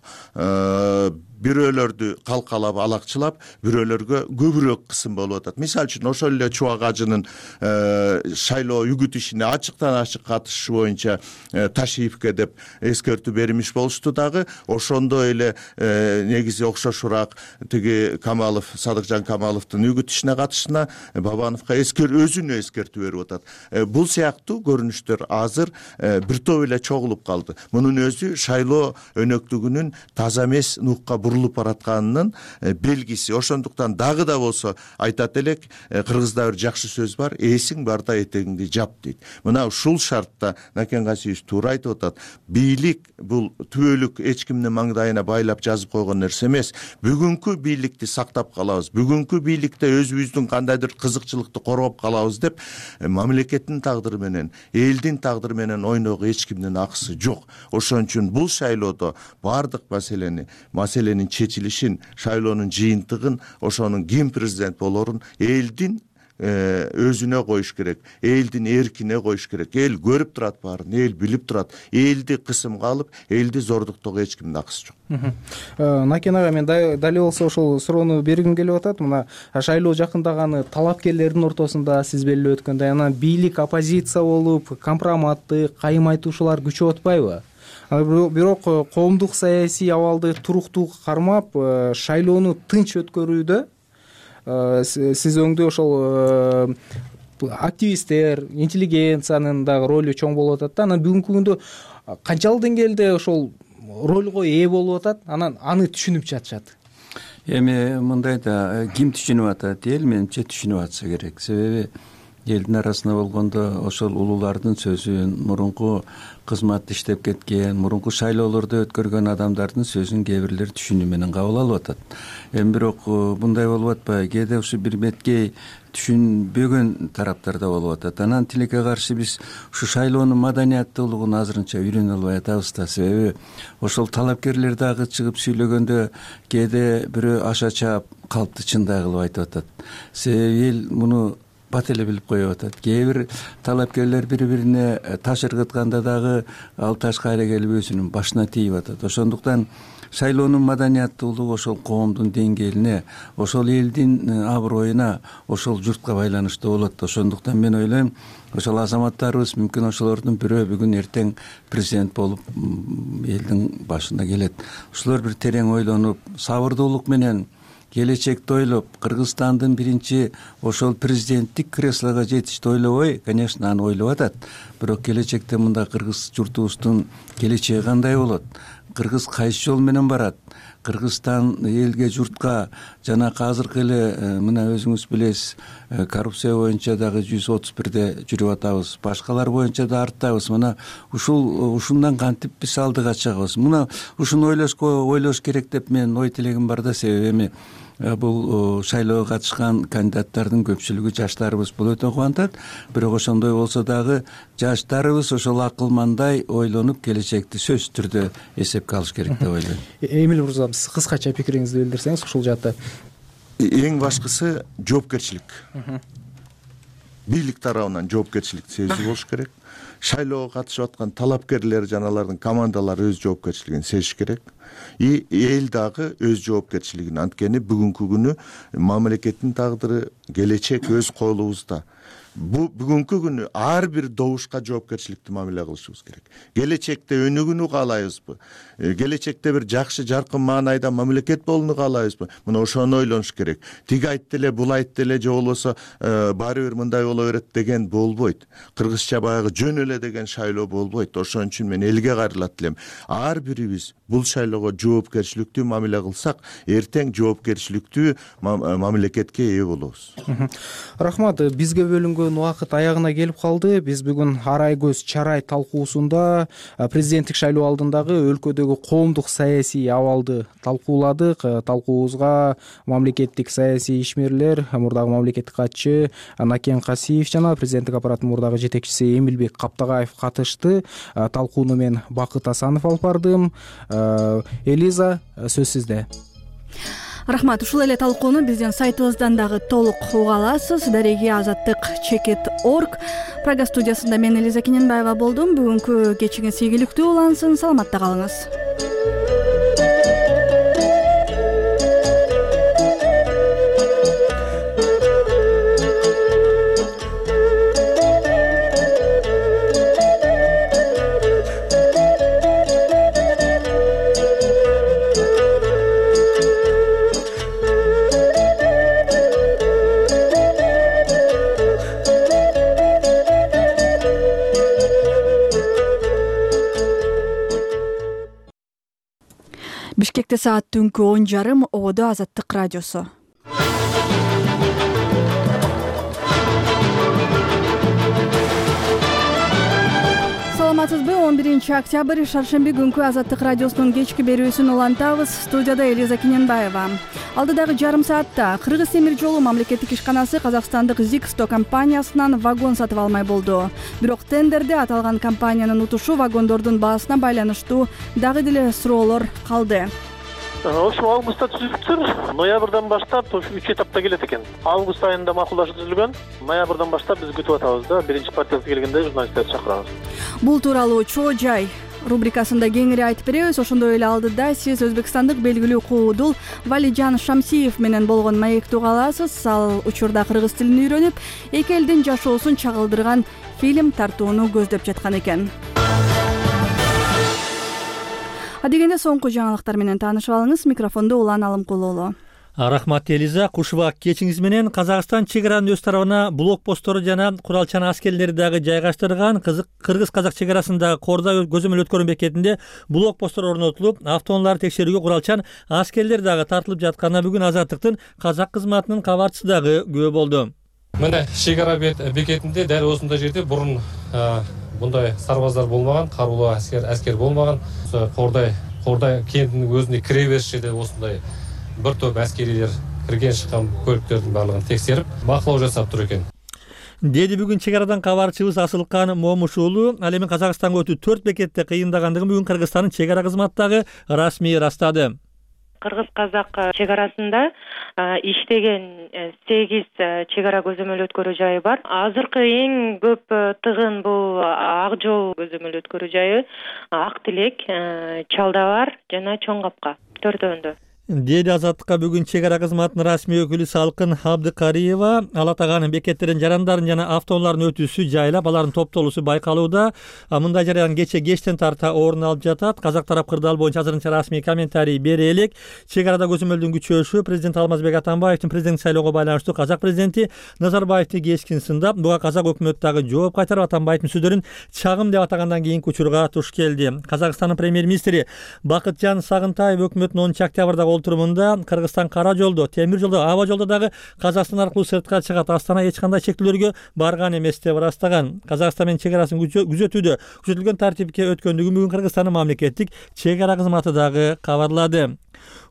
Бирөөлөрдү калкалап, алакчылап, бирөөлөргө көбүрөөк кысым болуп атат. Мисалы үчүн ошол эле Чубак Ажынын шайлоо үгүт ишине ачыктан ачык катышышы боюнча Ташиевке деп эскертүү бермиш болушту дагы. Ошондой эле негизи окшошураак тиги Камалов, Садыкжан Камаловдун үгүт ишине катышына Бабановго эскер өзүнө эскертүү берип атат. Бул сыяктуу көрүнүштөр азыр бир топ эле чогулуп калды. Мунун өзү шайлоо өнөктүгүнүн таза эмес нукка бурулуп баратканынын белгиси. Ошондуктан дагы да болсо айтат элек, кыргызда бир жакшы сөз бар: эсиң барда этегиңди жап дейт. Мына ушул шартта Накен Касиевич туура айтып атат. Бийлик бул түбөлүк эч кимдин маңдайына байлап жазып койгон нерсе эмес. Бүгүнкү бийликти сактап калабыз, бүгүнкү бийликте өзүбүздүн кандайдыр кызыкчылыкты коргоп калабыз деп мамлекеттин тагдыры менен, элдин тагдыры менен ойноого эч кимдин акысы жок. Ошон үчүн бул шайлоодо баардык маселени маселенин чечилишин, шайлоонун жыйынтыгын, ошонун ким президент болорун элдин өзүнө коюш керек, элдин эркине коюш керек. Эл көрүп турат баарын, эл билип турат. Элди кысымга алып, элди зордуктоого эч кимдин акысы жок. Накен ага, мен дал эле болсо ошол суроону бергим келип атат. Мына шайлоо жакындаганы талапкерлердин ортосунда сиз белгилеп өткөндөй, анан бийлик оппозиция болуп, компроматты, кайым айтуушулар күчөп атпайбы? Бирок коомдук саясий абалды туруктуу кармап, шайлоону тынч өткөрүүдө сиз өңдүү ошол активисттер, интеллигенциянын дагы ролу чоң болуп атат да. Анан бүгүнкү күндө канчалык деңгээлде ошол ролго ээ болуп атат, анан аны түшүнүп жатышат? Эми мындай да, ким түшүнүп атат? Эл менимче түшүнүп атса керек. Себеби элдин арасында болгондо ошол улуулардын сөзүн, мурунку кызматты иштеп кеткен, мурунку шайлоолорду өткөргөн адамдардын сөзүн кээ бирлер түшүнүү менен кабыл алып атат. Эми бирок мындай болуп атпайбы? Кээде ушу бир меткей түшүнбөгөн тараптар да болуп атат. Анан тилекке каршы биз ушу шайлоонун маданияттуулугун азырынча үйрөнө албай атабыз да. Себеби ошол талапкерлер дагы чыгып сүйлөгөндө кээде бирөө аша чаап калпты чындай кылып айтып атат. Себеби эл муну бат эле билип коюп атат. Кээ бир талапкерлер бири-бирине таш ыргытканда дагы ал таш кайра келип өзүнүн башына тийип атат. Ошондуктан шайлоонун маданияттуулугу ошол коомдун деңгээлине, ошол элдин аброюна, ошол журтка байланыштуу болот. Ошондуктан мен ойлойм, ошол азаматтарыбыз мүмкүн ошолордун бирөө бүгүн эртең президент болуп элдин башына келет. Ошолор бир терең ойлонуп, сабырдуулук менен келечекти ойлоп, Кыргызстандын биринчи ошол президенттик креслого жетишти ойлобой, конечно, аны ойлоп атат. Бирок келечекте мында кыргыз журтубуздун келечеги кандай болот? Кыргыз кайсы жол менен барат? Кыргызстан элге, журтка жана азыркы эле мына өзүңүз билесиз, коррупция боюнча дагы жүз отуз бирде жүрүп атабыз, башкалар боюнча да арттабыз. Мына ушул ушундан кантип биз алдыга чыгабыз? Мына ушуну ойлошко ойлош керек деп мен ой тилегим бар да. Себеби эми бул шайлоого катышкан кандидаттардын көпчүлүгү жаштарыбыз, бул өтө кубантат. Бирок ошондой болсо дагы жаштарыбыз ошол акылмандай ойлонуп, келечекти сөзсүз түрдө эсепке алыш керек деп ойлойм. Эмил мырза, сиз кыскача пикириңизди билдирсеңиз ушул жаатта. Эң башкысы жоопкерчилик. Бийлик тарабынан жоопкерчилик сезүү болуш керек. Шайлоого катышып аткан талапкерлер жана алардын командалары өз жоопкерчилигин сезиш керек. И эл дагы өз жоопкерчилигин. Анткени бүгүнкү күнү мамлекеттин тагдыры, келечек өз колубузда. Бу бүгүнкү күнү ар бир добушка жоопкерчиликтүү мамиле кылышыбыз керек. Келечекте өнүгүүнү каалайбызбы? Келечекте бир жакшы, жаркын маанайда мамлекет болууну каалайбызбы? Мына ошону ойлонуш керек. Тиги айтты эле, бул айтты эле, же болбосо баары бир мындай боло берет деген болбойт. Кыргызча баягы жөн эле деген шайлоо болбойт. Ошон үчүн мен элге кайрылат элем. Ар бирибиз бул шайлоого жоопкерчиликтүү мамиле кылсак, эртең жоопкерчиликтүү мамлекетке ээ болобуз. Рахмат. Бизге бөлүнгөн бөлгөн убакыт аягына келип калды. Биз бүгүн арай көз чарай талкуусунда президенттик шайлоо алдындагы өлкөдөгү коомдук саясий абалды талкууладык. Талкуубузга мамлекеттик саясий ишмерлер, мурдагы мамлекеттик катчы Накен Касиев жана президенттик аппараттын мурдагы жетекчиси Эмилбек Каптагаев катышты. Талкууну мен Бакыт Асанов алып бардым. Элиза, сөз сизде. Рахмат. Ушул эле талкууну биздин сайтыбыздан дагы толук уга аласыз. Дареги азаттык чекит точка орг. Прага студиясында мен Элиза Кененбаева болдум. Бүгүнкү кечиңиз ийгиликтүү улансын. Саламатта калыңыз. Бишкекте саат түнкү он жарым. Ободо Азаттык радиосу. Саламатсызбы? он биринчи октябрь шаршемби күнкү Азаттык радиосунун кечки берүүсүн улантабыз. Студияда Элиза Кененбаева. Алдыдагы жарым саатта Кыргыз темир жолу мамлекеттик ишканасы казакстандык Зиксто компаниясынан вагон сатып алмай болду. Бирок тендерде аталган компаниянын утушу вагондордун баасына байланыштуу дагы деле суроолор калды. Ошол августта түзүлүптүр. Ноябрдан баштап ушу үч этапта келет экен. Август айында макулдашуу түзүлгөн. Ноябрдан баштап биз күтүп атабыз да, биринчи партиясы келгенде журналисттерди чакырабыз. Бул тууралуу Чоо жай рубрикасында кеңири айтып беребиз. Ошондой эле алдыда сиз өзбекстандык белгилүү куудул Валиджан Шамсиев менен болгон маекти уга аласыз. Ал учурда кыргыз тилин үйрөнүп, эки элдин жашоосун чагылдырган фильм тартууну көздөп жаткан экен. Адегенде соңку жаңылыктар менен таанышып алыңыз. Микрофондо Улан Алымкулуулу. Рахмат Элиза. Кушубак кечиңиз менен Казакстан чек аранын өз тарабына блокпосттору жана куралчан аскерлерди дагы жайгаштырган. Кыргыз-казак чек арасындагы Корда көзөмөл өткөрүү бекетинде блокпосттор орнотулуп, автоунааларды текшерүүгө куралчан аскерлер дагы тартылып жатканына бүгүн Азаттыктын казак кызматынын кабарчысы дагы күбө болду. Мына чек ара бекетинде дәл осундай жерде бурун мындай сарбаздар болмаган, каруулуу аскер аскер болмаган. Кордай Кордай кентинин өзүнө кире бериш жерде осундай bir топ аскерилер кирген чыккан көлүктөрдүн баардыгын текшерип, бакылоо жасап тур экен. Деди бүгүн чек арадан кабарчыбыз Асылкан Момуш уулу. Ал эми Казакстанга өтүү төрт бекетте кыйындагандыгын бүгүн Кыргызстандын чек ара кызматындагы расмий ырастады. Кыргыз-казак чек арасында иштеген сегиз чек ара көзөмөл өткөрүү жайы бар. Азыркы эң көп тыгын бул Ак жол көзөмөл өткөрүү жайы, Ак Тилек, Чалдабар жана Чоң Капка төртөөндө. Деди Азаттыкка бүгүн чек ара кызматынын расмий өкүлү Салкын Абдыкариева. Ал атаган бекеттердин жарандарын жана автоунаалардын өтүүсү жайлап, алардын топтолуусу байкалууда. Мындай жарыян кече кечтен тарта орун алып жатат. Казак тарап кырдаал боюнча азырынча расмий комментарий бере элек. Чек арада көзөмөлдүн күчөшү президент Алмазбек Атамбаевдин президенттик шайлоого байланыштуу казак президенти Назарбаевди кескен сындап, буга казак өкмөтү дагы жооп кайтарып Атамбаевдин сөздөрүн чагым деп атагандан кийинки учурга туш келди. Казакстандын премьер-министри Бакытжан Сагынтаев өкмөттүн онунчу октябрда олтурумунда Кыргызстан кара жолдо, темир жолдо, аба жолдо дагы Казакстан аркылуу сыртка чыгат, Астана эч кандай чектөөлөргө барган эмес деп ырастаган. Казакстан менен чек арасын күзөтүүдө күзөтүлгөн тартипке өткөндүгүн бүгүн Кыргызстандын мамлекеттик чек ара кызматы дагы кабарлады.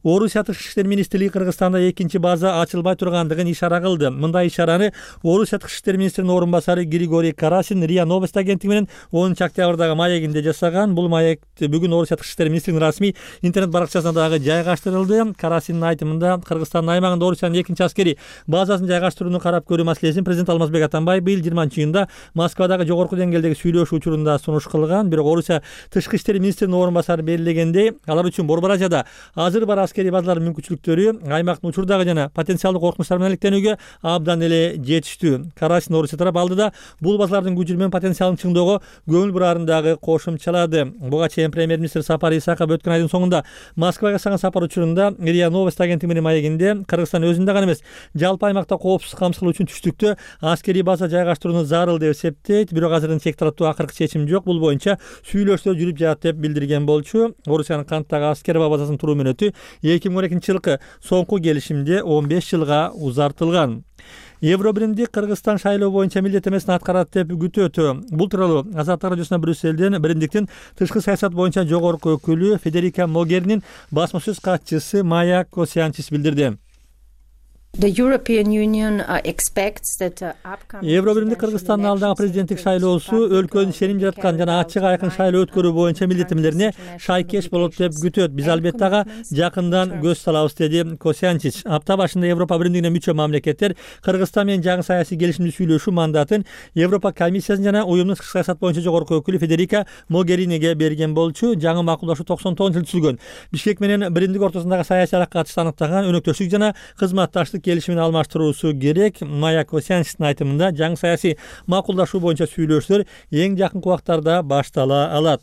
Орусия тышкы иштер министрлиги Кыргызстанда экинчи база ачылбай тургандыгын ишара кылды. Мындай ишараны Орусия тышкы иштер министринин орун басары Григорий Карасин РИА Новости агенттиги менен онунчу октябрдагы маегинде жасаган. Бул маекти бүгүн Орусия тышкы иштер министринин расмий интернет баракчасына дагы жайгаштырылды. Карасиндин айтымында Кыргызстандын аймагында Орусиянын экинчи аскери базасын жайгаштырууну карап көрүү маселесин президент Алмазбек Атамбаев быйыл жыйырманчы июнда Москвадагы жогорку деңгээлдеги сүйлөшүү учурунда сунуш кылган. Бирок Орусия тышкы иштер министринин орун басары белгилегендей, алар үчүн Борбор Азияда азыр бар аскери базалардын мүмкүнчүлүктөрү аймактын учурдагы жана потенциалдык коркунучтар менен алектенүүгө абдан эле жетиштүү. Карасин Орусия тарап алдыда бул базалардын күчү менен потенциалын чыңдоого көңүл бурарын дагы кошумчалады. Буга чейин премьер-министр Сапар Исаков өткөн айдын соңунда Москвага жасаган сапар учурунда РИА Новости агенттиги менен маегинде Кыргызстан өзүндө гана эмес, жалпы аймакта коопсуздук камсыздоо үчүн түштүктө аскери база жайгаштырууну зарыл деп эсептейт. Бирок азырынча чек тараптуу акыркы чечим жок. Бул боюнча сүйлөшүүлөр жүрүп жатат деп билдирген болчу. Орусиянын Канттагы аскер базасынын туруу мөөнөтү эки миң он экинчи жылкы соңку келишимде он беш жылга узартылган. Евробиримдик Кыргызстан шайлоо боюнча милдеттемесин аткарат деп күтөт. Бул тууралуу Азаттык радиосуна Брюссельден биримдиктин тышкы саясат боюнча жогорку өкүлү Федерика Могеринин басма сөз катчысы Майя Косянчис билдирди. Евробиримдик Кыргызстандын алдыңкы президенттик шайлоосу өлкөнүн ишеним жараткан жана ачык айкын шайлоо өткөрүү боюнча милдеттемелерине шайкеш болот деп күтөт. Биз албетте ага жакындан көз салабыз, деди Косянчич. Апта башында Европа биримдигине мүчө мамлекеттер Кыргызстан менен жаңы саясий келишимди сүйлөшүү мандатын Европа комиссиясынын жана уюмдун тышкы саясат боюнча жогорку өкүлү Федерика Могериниге берген болчу. Жаңы макулдашуу токсон тогузунчу жылы түзүлгөн. Бишкек менен биримдик ортосундагы саясий алакка катышты аныктаган өнөктөштүк жана кызматташтык келишимин алмаштыруусу керек. Майя Косянчистин айтымында жаңы саясий макулдашуу боюнча сүйлөшүүлөр эң жакынкы убактарда баштала алат.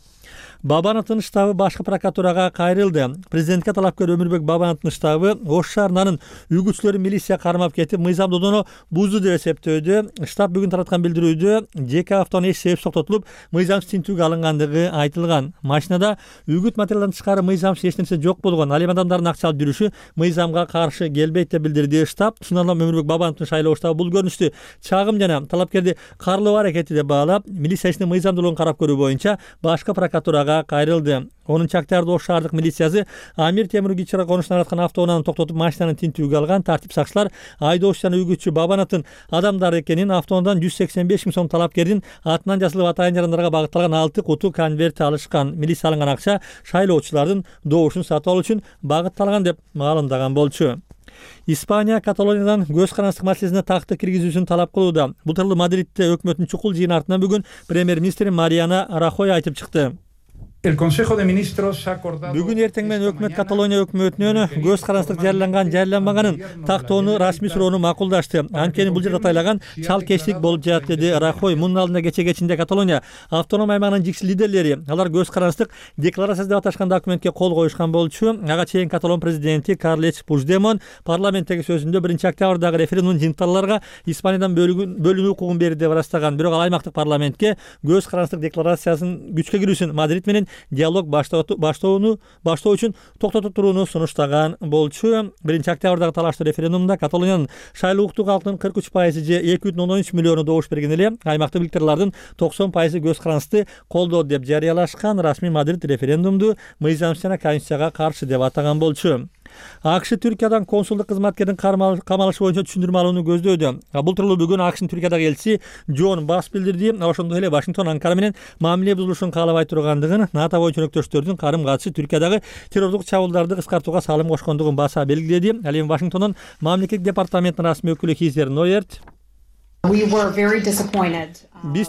Бабановдун штабы башкы прокуратурага кайрылды. Президентке талапкер Өмүрбек Бабановдун штабы Ош шаарынын үгүтчүлөрү милиция кармап кетип, мыйзам додону бузду деп эсептөөдө. Штаб бүгүн тараткан билдирүүдө жеке автоунаа эч себепсиз токтотулуп, мыйзамсыз тинтүүгө алынгандыгы айтылган. Машинада үгүт материалдан тышкары мыйзамсыз эч нерсе жок болгон. Ал эми адамдардын акча алып жүрүшү мыйзамга каршы келбейт деп билдирди штаб. Шундан улам Өмүрбек Бабановдун шайлоо штабы бул көрүнүштү чагым жана талапкерди карлоо аракети деп баалап, милиция ишинин мыйзамдуулугун карап көрүү боюнча башкы прокуратурага кайрылды. онунчу октябрда Ош шаардык милициясы Амир Темир Кичире конушуна араткан автоунааны токтотуп, машинаны тинтүүгө алган. Тартип сакчылар айдоочу жана үгүтчү Бабановдун адамдары экенин, автоунаадан жүз сексен беш миң сом талапкердин атынан жазылып атайын жарандарга багытталган алты куту конверт алышкан. Милиция алынган акча шайлоочулардын добушун сатып алуу үчүн багытталган деп маалымдаган болчу. Испания Каталониядан көз карандык маселесине такты киргизүүсүн талап кылууда. Бул тууралуу Мадридте өкмөттүн чукул жыйын артынан бүгүн премьер-министр Мариана Рахой айтып чыкты. Бүгүн эртең менен өкмөт Каталония өкмөтүнөн көз карандык жарыяланган жарыяланбаганын тактоону расмий суроону макулдашты. Анткени бул жерде атайлаган чалкештик болуп жатат, деди Рахой. Мунун алдында кече кечинде Каталония автоном аймагынын жикси лидерлери, алар көз карандык декларация деп аташкан документке кол коюшкан болчу. Ага чейин Каталон президенти Карлеч Пучдемон парламенттеги сөзүндө биринчи октябрдагы референдумдун жыйынтыктагыларга Испаниядан бөлүнүү укугун берди деп ырастаган. Бирок ал аймактык парламентке көз карандык декларациясынын күчкө кирүүсүн Мадрид менен диалог баштоону баштоо үчүн токтотуп турууну сунуштаган болчу. биринчи октябрдагы талаштуу референдумда Каталониянын шайлоо укуктуу калкынын кырк үч пайызы же эки бүтүн ондон үч миллиону добуш берген эле, аймактык билдирүүлөрдүн токсон пайызы көз карандыкты колдоо деп жарыялашкан. Расмий Мадрид референдумду мыйзамсыз жана конституцияга каршы деп атаган болчу. АКШ Түркиядан консулдук кызматкердин камалышы боюнча түшүндүрмө алууну көздөөдө. Бул тууралуу бүгүн АКШнын Түркиядагы элчиси Джон Басс билдирди. Ошондой эле Вашингтон Анкара менен мамиле бузулушун каалабай тургандыгын, НАТО боюнча өнөктөштөрдүн карым катышы Түркиядагы террордук чабуулдарды кыскартууга салым кошкондугун баса белгиледи. Ал эми Вашингтондон мамлекеттик департаменттин расмий өкүлү Хизер Нойерт Биз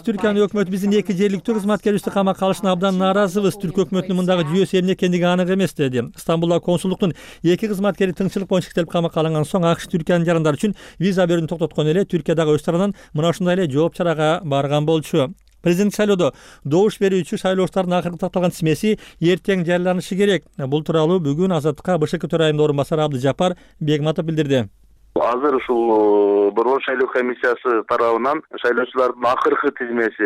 Түркиянын өкмөтү биздин эки жергиликтүү кызматкерибизди камакка алышына абдан нааразыбыз. Түрк өкмөтүнүн мындагы жүйөсү эмне экендиги анык эмес, деди. Стамбулдагы консулдуктун эки кызматкери тыңчылык боюнча иштелип камакка алынган соң АКШ Түркиянын жарандары үчүн виза берүүнү токтоткон эле Түркиядагы өз тарабынан мына ушундай эле жооп чарага барган болчу. Президент шайлоодо добуш берүүчү шайлоочулардын акыркы такталган тизмеси эртең жарыяланышы керек. Бул тууралуу бүгүн Азаттыкка БШК төрайымынын орун басары Абдыжапар Бегматов билдирди. Азыр ушул борбор шайлоо комиссиясы тарабынан шайлоочулардын акыркы тизмеси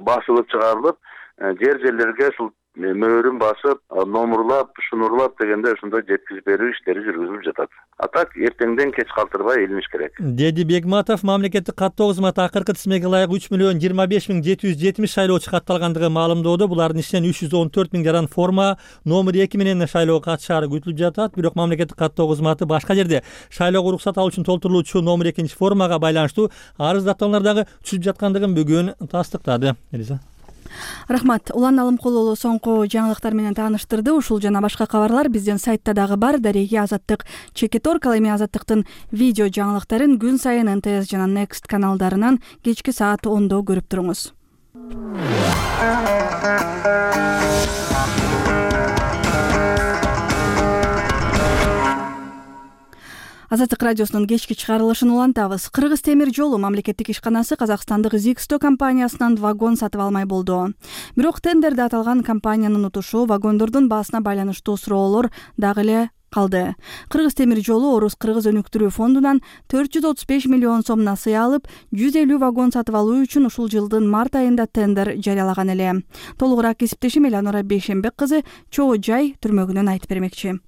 басылып чыгарылып, жер жерлерге ушул мөөрүн басып, номурлап, шунурлап дегенде ушундай жеткизип берүү иштери жүргүзүлүп жатат. А так эртеңден кеч калтырбай илиниш керек, деди Бегматов. Мамлекеттик каттоо кызматы акыркы тизмеге ылайык үч миллион жыйырма беш миң жети жүз жетимиш шайлоочу катталгандыгын маалымдоодо. Булардын ичинен үч жүз он төрт миң жаран форма номер эки менен шайлоого катышаары күтүлүп жатат. Бирок мамлекеттик каттоо кызматы башка жерде шайлоого уруксат алуу үчүн толтурулуучу номер экинчи формага байланыштуу арыз даттануулардагы түшүп жаткандыгын бүгүн тастыктады. Элиза Рахмат. Улан Алымкулулу соңку жаңылыктар менен тааныштырды. Ушул жана башка кабарлар биздин сайтта дагы бар. Дареги Азаттык Чекитор ал эми Азаттыктын видео жаңылыктарын күн сайын эн тэ эс жана Next каналдарынан кечки саат ондо көрүп туруңуз. Азаттык радиосунун кечки чыгарылышын улантабыз. Кыргыз темир жолу мамлекеттик ишканасы казакстандык Zixto компаниясынан вагон сатып алмай болду. Бирок тендерде аталган компаниянын утушу вагондордун баасына байланыштуу суроолор дагы эле калды. Кыргыз темир жолу Орус кыргыз өнүктүрүү фондунан төрт жүз отуз беш миллион сом насыя алып, жүз элүү вагон сатып алуу үчүн ушул жылдын март айында тендер жарыялаган эле. Толугураак кесиптешим Эланора Бейшембек кызы Чоо Жай түрмөгүнөн айтып бермекчи.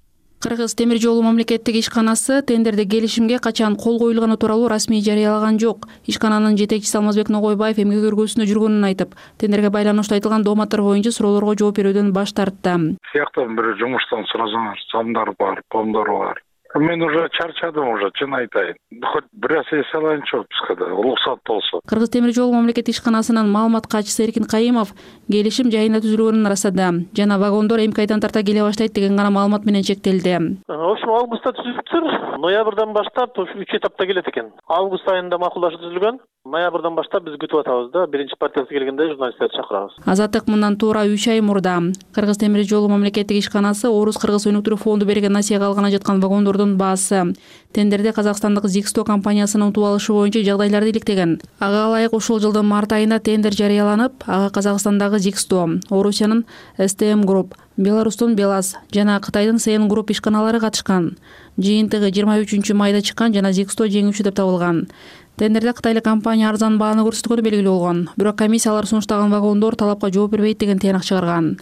Кыргыз темир жолу мамлекеттик ишканасы тендерде келишимге качан кол коюлганы тууралуу расмий жарыялаган жок. Ишкананын жетекчиси Алмазбек Ногойбаев эмгек өргөсүндө жүргөнүн айтып, тендерге байланыштуу айтылган дооматтар боюнча суроолорго жооп берүүдөн баш тартты. Сыяктан бир жумуштан сурасаңар, самдар бар, помдор бар. Мен уже чарчадым, уже чын айтайын. Хоть бир нерсе эс алайынчы бизге да, уруксат болсо. Кыргыз темир жолу мамлекеттик ишканасынын маалымат катчысы Эркин Кайымов келишим жайында түзүлгөнүн ырастады. Жана вагондор эмки айдан тарта келе баштайт деген гана маалымат менен чектелди. В общем, августта түзүлүптүр. Ноябрдан баштап үч этапта келет экен. Август айында макулдашуу түзүлгөн. Ноябрдан баштап биз күтүп атабыз да, биринчи партиясы келгенде журналисттерди чакырабыз. Азаттык мындан туура үч ай мурда Кыргыз темир жолу мамлекеттик ишканасы Орус Кыргыз өнүктүрүү фонду берген насыяга алгана жаткан вагондордун баасы тендерде казакстандык Зиксто компаниясынын утуп алышы боюнча жагдайларды иликтеген. Ага ылайык ушул жылдын март айында тендер жарыяланып, ага Казакстандагы Зиксто, Орусиянын эс тэ эм Group, Беларустун Белаз жана Кытайдын Си эн Group ишканалары катышкан. Жыйынтыгы жыйырма үчүнчү майда чыккан жана Зиксто жеңүүчү деп табылган. Тендерде кытайлык компания арзан бааны көрсөткөнү белгилүү болгон. Бирок комиссиялар сунуштаган вагондор талапка жооп бербейт деген тыянак чыгарган.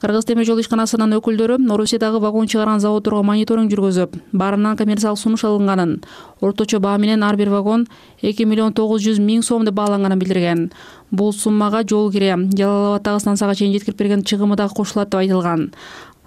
Кыргыз темир жолу ишканасынын өкүлдөрү Орусиядагы вагон чыгарган заводдорго мониторинг жүргүзүп, баарынан коммерциялык сунуш алынганын, орточо баа менен ар бир вагон эки миллион тогуз жүз миң сом деп бааланганын билдирген. Бул суммага жол кире, Жалал Абаддагы станцияга чейин жеткирип берген чыгымы дагы кошулат деп айтылган.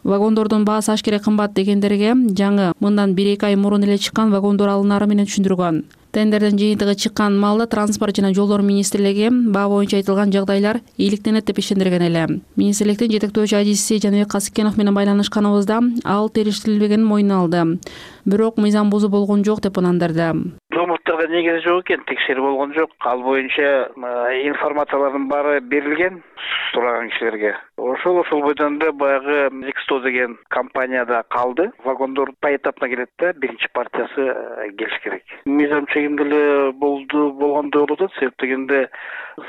Вагондордун баасы ашкере кымбат дегендерге жаңы мындан бир эки ай мурун эле чыккан вагондор алынары менен түшүндүргөн. Тендерден жыйынтыгы чыккан маалда транспорт жана жолдор министрлиги баа боюнча айтылган жагдайлар ийгиликтенет деп ишендирген эле. Министрликтин жетектөөчү адиси Жаныбек Касыкенов менен байланышканыбызда ал териштирилбегенин мойнуна алды. Бирок мыйзам бузуу болгон жок деп ынандырды. Дооматтарда негизи жок экен, текшерүү болгон жок. Ал боюнча информациялардын баары берилген сураган кишилерге. Ошол ошол бойдон да баягы Зиксто деген компанияда калды. Вагондор поэтапно келет да, биринчи партиясы келиш керек. Мыйзам чегинде эле болду болгондой болуп атат, себеп дегенде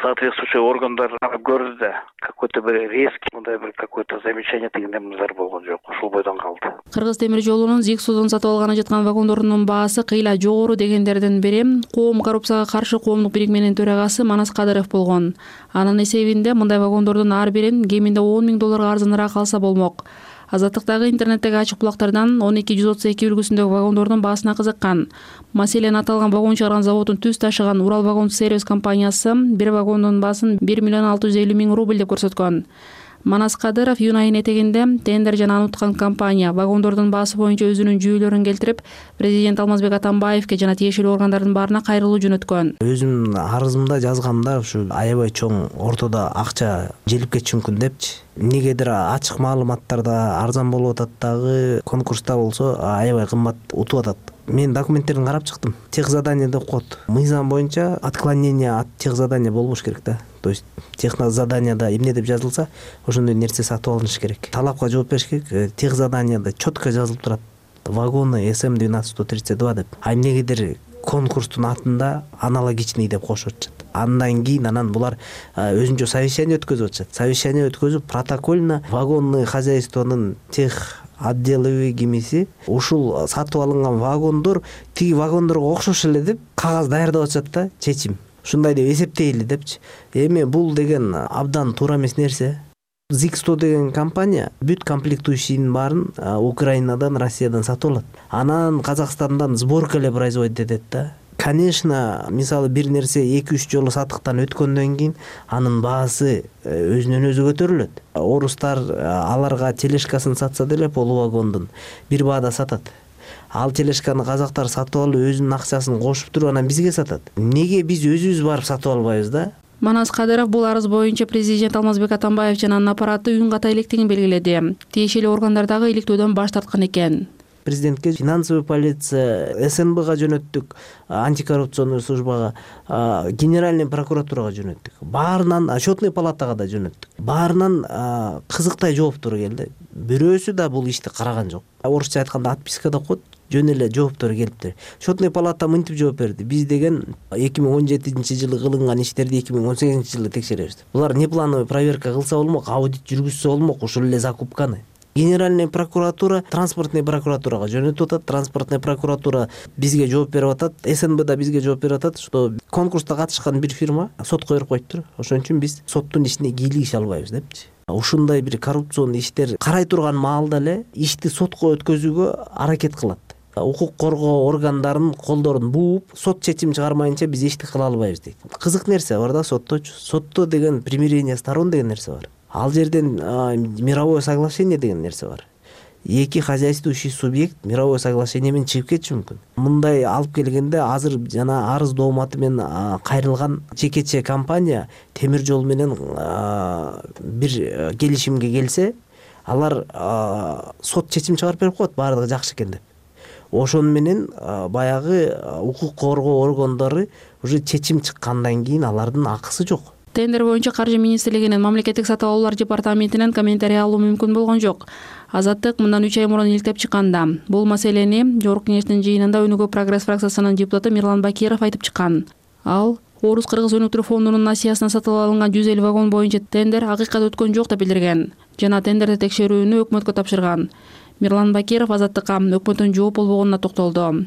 соответствующий органдар көрдү да, какой-то бир резкий, мындай бир какой-то замечание деген нерселер болгон жок. Ошол бойдон калды. Кыргыз темир жолунун Зикстодон сатып алганы жаткан вагондордун баасы кыйла жогору дегендердин бири Коом коррупцияга каршы коомдук бирикменин төрагасы Манас Кадыров болгон. Анын эсебинде мындай вагондордун ар бирин кеминде он миң долларга арзаныраак алса болмок. Азаттыктагы интернеттеги ачык булактардан он эки жүз отуз эки үлгүсүндөгү вагондордун баасына кызыккан. Маселен аталган вагон чыгарган заводдун түз ташыган Урал вагон сервис компаниясы бир вагондун баасын бир миллион алты жүз элүү миң рубль деп көрсөткөн. Манас Кадыров июнь айынын этегинде тендер жана аны уткан компания вагондордун баасы боюнча өзүнүн жүйөлөрүн келтирип, президент Алмазбек Атамбаевке жана тиешелүү органдардын баарына кайрылуу жөнөткөн. Өзүм арызымда жазгамда ушу аябай чоң ортодо акча желип кетиши мүмкүн депчи. Негедир ачык маалыматтарда арзан болуп атат дагы, конкурста болсо аябай кымбат утуп атат. Мен документтерин карап чыктым. Тех задание деп коет. Мыйзам боюнча отклонение от тех задания болбош керек да. То есть техно заданияда эмне деп жазылса, ошондой нерсе сатып алыныш керек. Талапка жооп бериш керек. Тех заданияда четко жазылып турат. Вагоны эс эм двенадцать сто тридцать два деп. А эмнегедир конкурстун атында аналогичный деп кошуп атышат. Андан кийин анан булар өзүнчө совещание өткөзүп атышат. Совещание өткөзүп протокольно вагонный хозяйствонун тех отделовый кимиси ушул сатып алынган вагондор тиги вагондорго окшош эле деп кагаз даярдап атышат да, чечим. Ушундай деп эсептейли депчи. Эми бул деген абдан туура эмес нерсе. Зиксто деген компания бүт комплектующийнин баарын Украинадан, Россиядан сатып алат. Анан Казакстандан сборка эле производить этет да. Конечно, мисалы бир нерсе эки үч жолу сатыктан өткөндөн кийин анын баасы өзүнөн өзү көтөрүлөт. Орустар аларга тележкасын сатса деле полу вагондун бир баада сатат. Ал тележканы казактар сатып алып өзүнүн акчасын кошуп туруп анан бизге сатат. Неге биз өзүбүз барып сатып албайбыз да? Манас Кадыров бул арыз боюнча президент Алмазбек Атамбаев жана анын аппараты үн ката электигин белгиледи. Тиешелүү органдар дагы иликтөөдөн баш тарткан экен. Президентке финансовый полиция, эс эн бга жөнөттүк, антикоррупционный службага, генеральный прокуратурага жөнөттүк. Баарынан счетный палатага да жөнөттүк. Баарынан кызыктай жооптор келди. Бирөөсү да бул ишти караган жок. Орусча айтканда отписка да коет, жөн эле жооптор келиптир. Счетный палата мынтип жооп берди. Биз деген эки миң он жетинчи жылы кылынган иштерди эки миң он сегизинчи жылы текшеребиз. Булар неплановый проверка кылса болмок, аудит жүргүзсө болмок ушул эле закупканы. Генеральный прокуратура транспортный прокуратурага жөнөтүп атат. Транспортный прокуратура бизге жооп берип атат. эс эн бэ да бизге жооп берип атат, что конкурста катышкан бир фирма сотко берип коюптур. Ошон үчүн биз соттун ишине кийлигише албайбыз депчи. ушундай бир коррупционный иштер карай турган маалда эле ишти сотко өткөзүүгө аракет кылат. Укук коргоо органдарынын колдорун бууп, сот чечим чыгармайынча биз ишти кыла албайбыз дейт. Кызык нерсе бар да сотточу. Сотто деген примирение сторон деген нерсе бар. Ал жерден мировое соглашение деген нерсе бар. Эки хозяйствующий субъект мировое соглашение менен чыгып кетиши мүмкүн. Мындай алып келгенде азыр жана арыз дооматы менен кайрылган жекече компания темир жол менен бир келишимге келсе, алар сот чечим чыгарып берип коет, баардыгы жакшы экен деп. Ошону менен баягы укук коргоо органдары уже чечим чыккандан кийин алардын акысы жок. Тендер боюнча Каржы министрлигинин мамлекеттик сатып алуулар департаментинен комментарий алуу мүмкүн болгон жок. Азаттык мындан үч ай мурун иликтеп чыкканда, бул маселени Жогорку кеңештин жыйынында Өнүгүү прогресс фракциясынын депутаты Мирлан Бакиров айтып чыккан. Ал Орус-Кыргыз өнүктүрүү фондунун насыясына сатып алынган жүз элүү вагон боюнча тендер акыйкат өткөн жок деп билдирген жана тендерди текшерүүнү өкмөткө тапшырган. Мирлан Бакиров азаттыкка өкмөттүн жооп болбогонуна токтолду.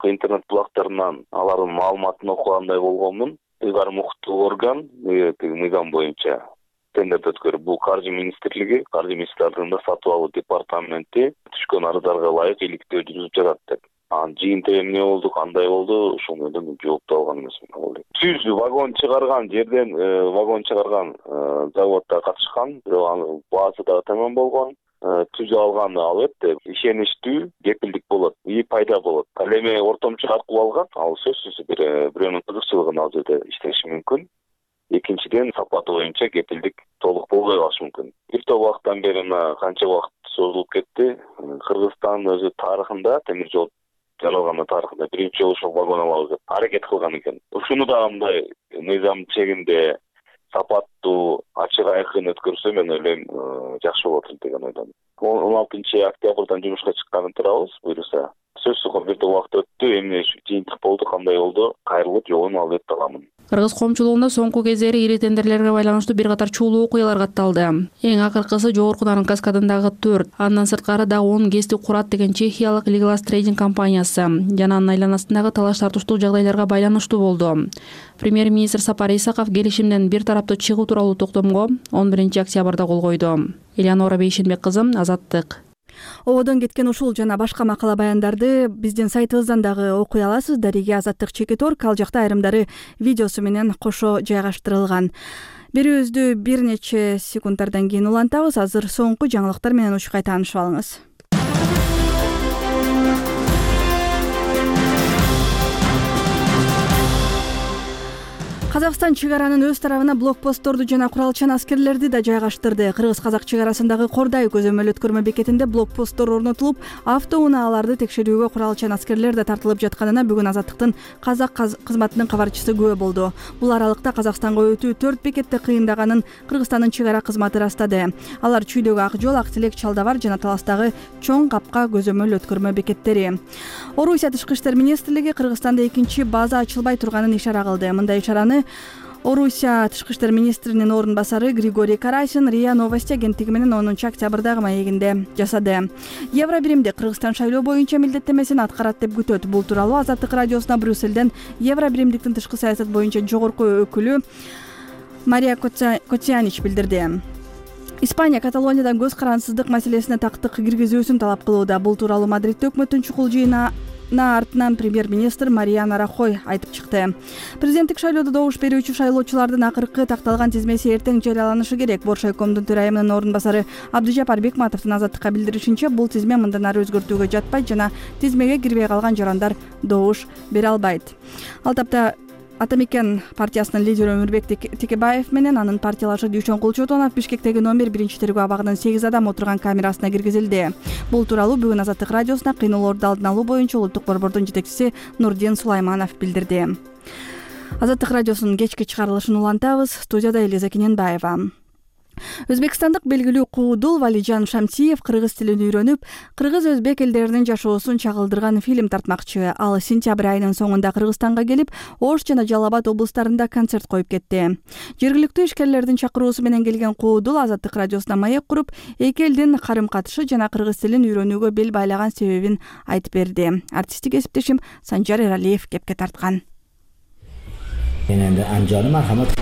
Интернет булактарынан алардын маалыматын окугандай болгонмун. Ыйгарым укуктуу орган мыйзам боюнча тендерди өткөрүп, бул Каржы министрлиги, Каржы министрлигинин сатып алуу департаменти түшкөн арыздарга ылайык иликтөө жүргүзүп жатат деп. Анан жыйынтыгы эмне болду, кандай болду, ошол менен жоопту алган эмесмин. Жүз вагон чыгарган жерден вагон чыгарган заводдо катышкан, бирок анын баасы дагы тамам болгон. Түзүп алган албетте ишеничтүү кепилдик болот, и пайда болот. Ал эми ортомчу аркылуу алган, ал сөзсүз бир бирөөнүн кызыкчылыгын ал жерде иштеши мүмкүн. Экинчиден сапаты боюнча кепилдик толук болбой калышы мүмкүн. Бир топ убакыттан бери мына канча убакыт созулуп кетти. Кыргызстан өзү тарыхында, темир жол жаралган тарыхында биринчи жолу ошол вагон алабыз деп аракет кылган экен. Ушуну да мындай мыйзам чегинде сапаттуу, ачык айкын өткөрсө мен ойлойм жакшы болот деген ойдомун. он алтынчы октябрдан жумушка чыкканын турабыз, буюрса. Сөзсүз бир топ убакыт өттү, эмне жыйынтык болду, кандай болду, кайрылып жообун албетте аламын. Кыргыз коомчулугунда соңку кездери ири тендерлерге байланыштуу бир катар чуулуу окуялар катталды. Эң акыркысы Жогорку Нарын каскадындагы төрт, андан сырткары да он ГЭСти курат деген чехиялык Legalas Trading компаниясы жана анын айланасындагы талаш тартыштуу жагдайларга байланыштуу болду. Премьер-министр Сапар Исаков келишимден бир тараптуу чыгуу тууралуу токтомго он биринчи октябрда кол койду. Элеонора Бейшенбек кызы, Азаттык. Ободон кеткен ушул жана башка макала баяндарды биздин сайтыбыздан дагы окуй аласыз. Дариге Азаттык чекит орг, ал жакта айрымдары видеосу менен кошо жайгаштырылган. Берүүбүздү бир нече секунддардан кийин улантабыз. Азыр соңку жаңылыктар менен учкай таанышып алыңыз. Казакстан чыгаранын өз тарабына блокпостторду жана куралчан аскерлерди да жайгаштырды. Кыргыз-казак чыгарасындагы Кордай көзөмөл өткөрмө бекетинде блокпосттор орнотулуп, автоунааларды текшерүүгө куралчан аскерлер да тартылып жатканына бүгүн Азаттыктын казак кызматынын кабарчысы күбө болду. Бул аралыкта Казакстанга өтүү төрт бекетте кыйындаганын Кыргызстандын чыгара кызматы ырастады. Алар Чүйдөгү Ак жол, Ак Тилек, Чалдабар жана Таластагы Чоң Капка көзөмөл өткөрмө бекеттери. Орусия тышкы иштер министрлиги Кыргызстанда экинчи база ачылбай турганын ишара кылды. Мындай ишараны Орусия тышкы иштер министринин орун басары Григорий Карасин РИА Новости агенттиги менен онунчу октябрдагы маегинде жасады. Евро биримде Кыргызстан шайлоо боюнча милдеттемесин аткарат деп күтөт. Бул тууралуу Азаттык радиосуна Брюссельден Евро биримдиктин тышкы саясат боюнча жогорку өкүлү Мария Котянич билдирди. Испания Каталониядан көз карансыздык маселесине тактык киргизүүсүн талап кылууда. Бул тууралуу Мадридте өкмөттүн чукул жыйына артынан премьер-министр Мариана Рахой айтып чыкты. Президенттик шайлоодо добуш берүүчү шайлоочулардын акыркы такталган тизмеси эртең жарыяланышы керек. Боршайкомдун төрайымынын орун басары Абдыжапар Бекматовдун Азаттыкка билдиришинче, бул тизме мындан ары өзгөртүүгө жатпайт жана тизмеге кирбей калган жарандар добуш бере албайт. Ал тапта Атамекен партиясынын лидери Өмүрбек Текебаев менен анын партиялашы Дүйшөн Кулчотонов Бишкектеги номер биринчи тергөө абагынын сегиз адам отурган камерасына киргизилди. Бул тууралуу бүгүн Азаттык радиосуна кыйноолорду алдын алуу боюнча улуттук борбордун жетекчиси Нурдин Сулайманов билдирди. Азаттык радиосунун кечки чыгарылышын улантабыз. Студияда Элиза Кененбаева. Өзбекстандык белгилүү куудул Валижан Шамсиев кыргыз тилин үйрөнүп, кыргыз-өзбек элдеринин жашоосун чагылдырган фильм тартмакчы. Ал сентябрь айынын соңунда Кыргызстанга келип, Ош жана Жалал Абад облустарында концерт коюп кетти. Жергиликтүү ишкерлердин чакыруусу менен келген куудул Азаттык радиосуна маек куруп, эки элдин карым-катышы жана кыргыз тилин үйрөнүүгө бел байлаган себебин айтып берди. Артисттик кесиптешим Санжар Эралиев кепке тарткан. Мен энди Анжаны мархамат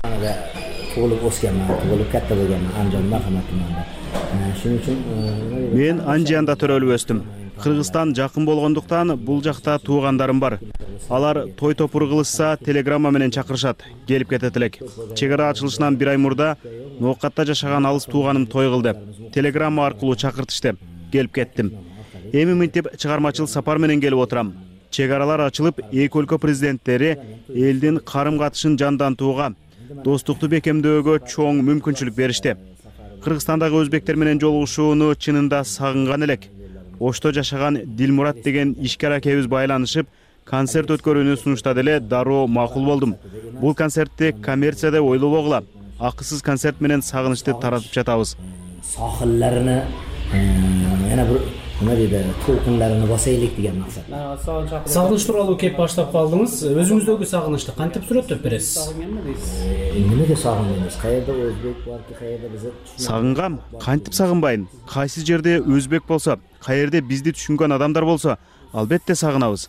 tug'ilib o'sganman, tug'ilib katta bo'lganman Andijon Marhamat tumanida. Shuning uchun мен Анжиянда төрөлүп өстүм. Кыргызстан жакын болгондуктан бул жакта туугандарым бар. Алар той топур кылышса телеграмма менен чакырышат, келип кетет элек. Чек ара ачылышынан бир ай мурда Ноокатта жашаган алыс тууганым той кылды. Телеграмма аркылуу чакыртышты. Келип кеттим. Эми мынтип чыгармачыл сапар менен келип отурам. Чек аралар ачылып, эки өлкө президенттери элдин карым катышын жандантууга, достукту бекемдөөгө чоң мүмкүнчүлүк беришти. Кыргызстандагы өзбектер менен жолугушууну чынында сагынган элек. Ошто жашаган Дилмурат деген ишкер акебиз байланышып, концерт өткөрүүнү сунуштады эле, дароо макул болдум. Бул концертти коммерция деп ойлобогула. Акысыз концерт менен сагынычты таратып жатабыз. Сахилларыны yana bir nima deydi, to'lqinlarini bosaylik degan maqsad. Сагыныч тууралуу кеп баштап калдыңыз. Өзүңүздөгү сагынычты кантип сүрөттөп бересиз? Эмнеге сагындыңыз? Каерде өзбек барбы, каерде биз? Сагынгам, кантип сагынбайын? Кайсы жерде өзбек болсо, каерде бизди түшүнгөн адамдар болсо, албетте сагынабыз.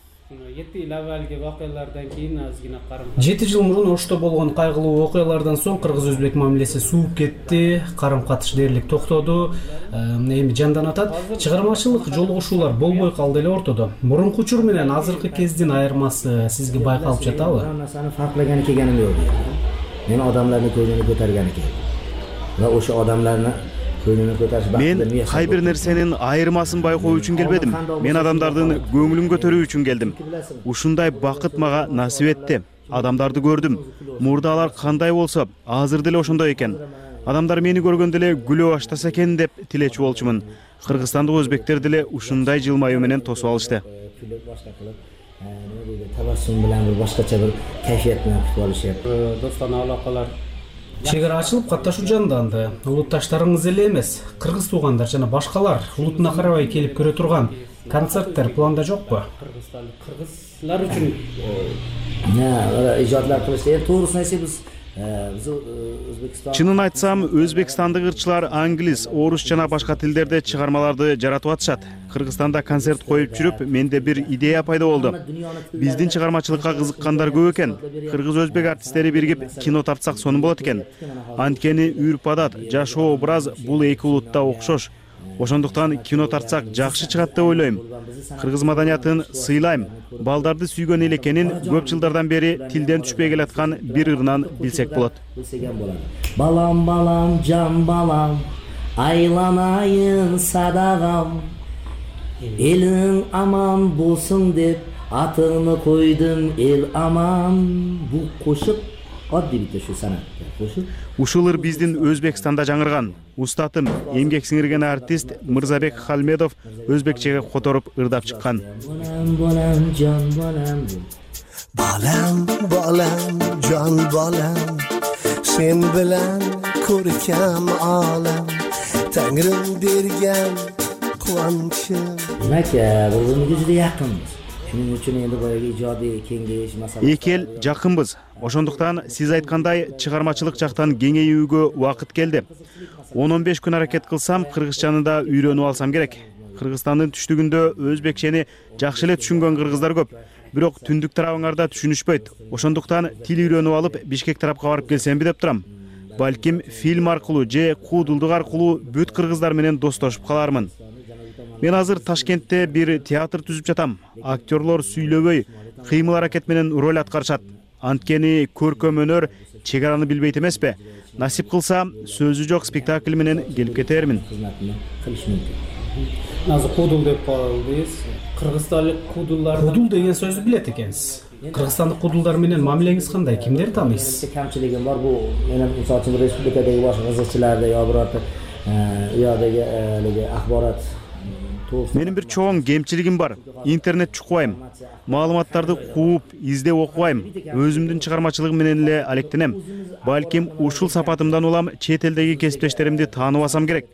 жети жыл мурун Ошто болгон кайгылуу окуялардан соң кыргыз-өзбек мамилеси сууп кетти, карым катыш дээрлик токтоду, эми жандан атат. Чыгармачылык жолугушуулар болбой калды эле ортодо. Мурунку учур менен азыркы кездин айырмасы сизге байкалып жатабы? Наrsani farqlagani kelganim yo'q. Men odamlarni ko'nglini ko'targani keldim. Va o'sha odamlarni Мен кай бир нерсенин айырмасын байкоо үчүн келбедим. Мен адамдардын көңүлүн көтөрүү үчүн келдим. Ушундай бакыт мага насип этти. Адамдарды көрдүм. Мурда алар кандай болсо, азыр деле ошондой экен. Адамдар мени көргөндө эле күлө баштаса экен деп тилечү болчумун. Кыргызстандык өзбектер деле ушундай жылмаюу менен тосуп алышты. Tabassum bilan bir boshqacha bir kayfiyat bilan kutib olishib. Do'stona aloqalar. Чек ара ачылып, катташуу жанданды. Улутташтарыңыз эле эмес, кыргыз туугандар жана башкалар улутуна карабай келип көрө турган концерттер планда жокпу? Кыргызлар үчүн не, ижадлар кылышты. Туурусын айтсак, биз Чынын айтсам, өзбекстандык ырчылар англис, орус жана башка тилдерде чыгармаларды жаратып атышат. Кыргызстанда концерт коюп жүрүп, менде бир идея пайда болду. Биздин чыгармачылыкка кызыккандар көп экен. Кыргыз-өзбек артисттери биригип кино тартсак сонун болот экен. Анткени үрп-адат, жашоо образ бул эки улутта окшош. Ошондуктан кино тартсак жакшы чыгат деп ойлойм. Кыргыз маданиятын сыйлайм. Балдарды сүйгөн эл экенин көп жылдардан бери тилден түшпөй келаткан бир ырынан билсек болот. Балам, балам, жан балам, айланайын садагам. Элиң аман болсун деп атыңы койдум, эл аман. Бул кошук адди бит ушу санат. Ушул ыр биздин Өзбекстанда жаңырган. Устатым, эмгек сиңирген артист Мырзабек Халмедов өзбекчеге которуп ырдап чыккан. Балам, жан балам. Балам, балам, жан балам. Sen bilan ko'rkam olam. Tangrim bergan quvonchim. Demak, bir-birimizga juda yaqinmiz. Shuning uchun endi boyagi ijodiy kengayish masalasi. Эки эл жакынбыз. Ошондуктан сиз айткандай чыгармачылык жактан кеңейүүгө убакыт келди. он он беш күн аракет кылсам, кыргызчаны да үйрөнүп алсам керек. Кыргызстандын түштүгүндө өзбекчени жакшы эле түшүнгөн кыргыздар көп. Бирок түндүк тарабыңарда түшүнүшпөйт. Ошондуктан тил үйрөнүп алып, Бишкек тарапка барып келсемби деп турам. Балким фильм аркылуу же куудулдук аркылуу бүт кыргыздар менен достошуп калармын. Мен азыр Ташкентте бир театр түзүп жатам. Актерлор сүйлөбөй, кыймыл аракет менен роль аткарышат. Анткени көркөм өнөр чек араны билбейт эмеспи? Насип кылса, сөзү жок спектакль менен келип кетермин. Азыр куудул деп калдыңыз. Кыргызстандык куудулдар куудул деген сөздү билет экенсиз. Кыргызстандык куудулдар менен мамилеңиз кандай? Кимдерди тааныйсыз? Камчылыгым бар бу. Менин мисалы үчүн республикадагы башка кызыкчыларда я бирок уядагы элеге ахбарат. Менин бир чоң кемчилигим бар. Интернет чукпайм. Маалыматтарды кууп, издеп окубайм. Өзүмдүн чыгармачылыгым менен эле алектенем. Балким ушул сапатымдан улам чет элдеги кесиптештеримди таанып алсам керек.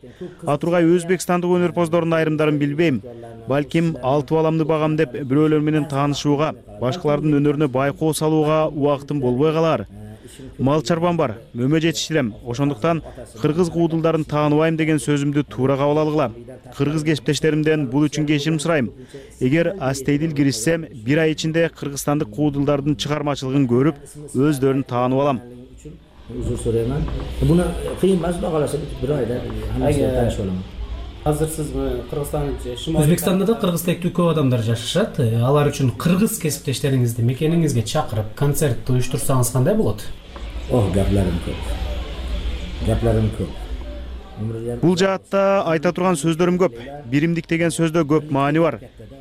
Атургай Өзбекстандык өнөрпоздордун айрымдарын билбейм. Балким алтı баламды багам деп бирөөлөр менен таанышууга, башкалардын өнөрүнө байкоо салууга убактым болбой калар. Мал чарбам бар, мөмө жетиштирем. Ошондуктан кыргыз куудулдарын тааныбайм деген сөзүмдү туура кабыл алгыла. Кыргыз кесиптештеримден бул үчүн кечирим сурайм. Эгер астейдил киришсем, бир ай ичинде кыргызстандык куудулдардын чыгармачылыгын көрүп, өздөрүн таанып алам. Uzr so'rayman. Buni qiyin emas, xudo xolasa bir oyda hammasiga tanishib olaman. Азыр сиз Кыргызстан Шымолий Өзбекстанда да кыргыз тектүү көп адамдар жашашат. Алар үчүн кыргыз кесиптештериңизди мекениңизге чакырып концерт уюштурсаңыз кандай болот? Ох, гапларым көп. Гапларым көп. Бул жаатта айта турган сөздөрүм көп. Биримдик деген сөздө көп маани бар.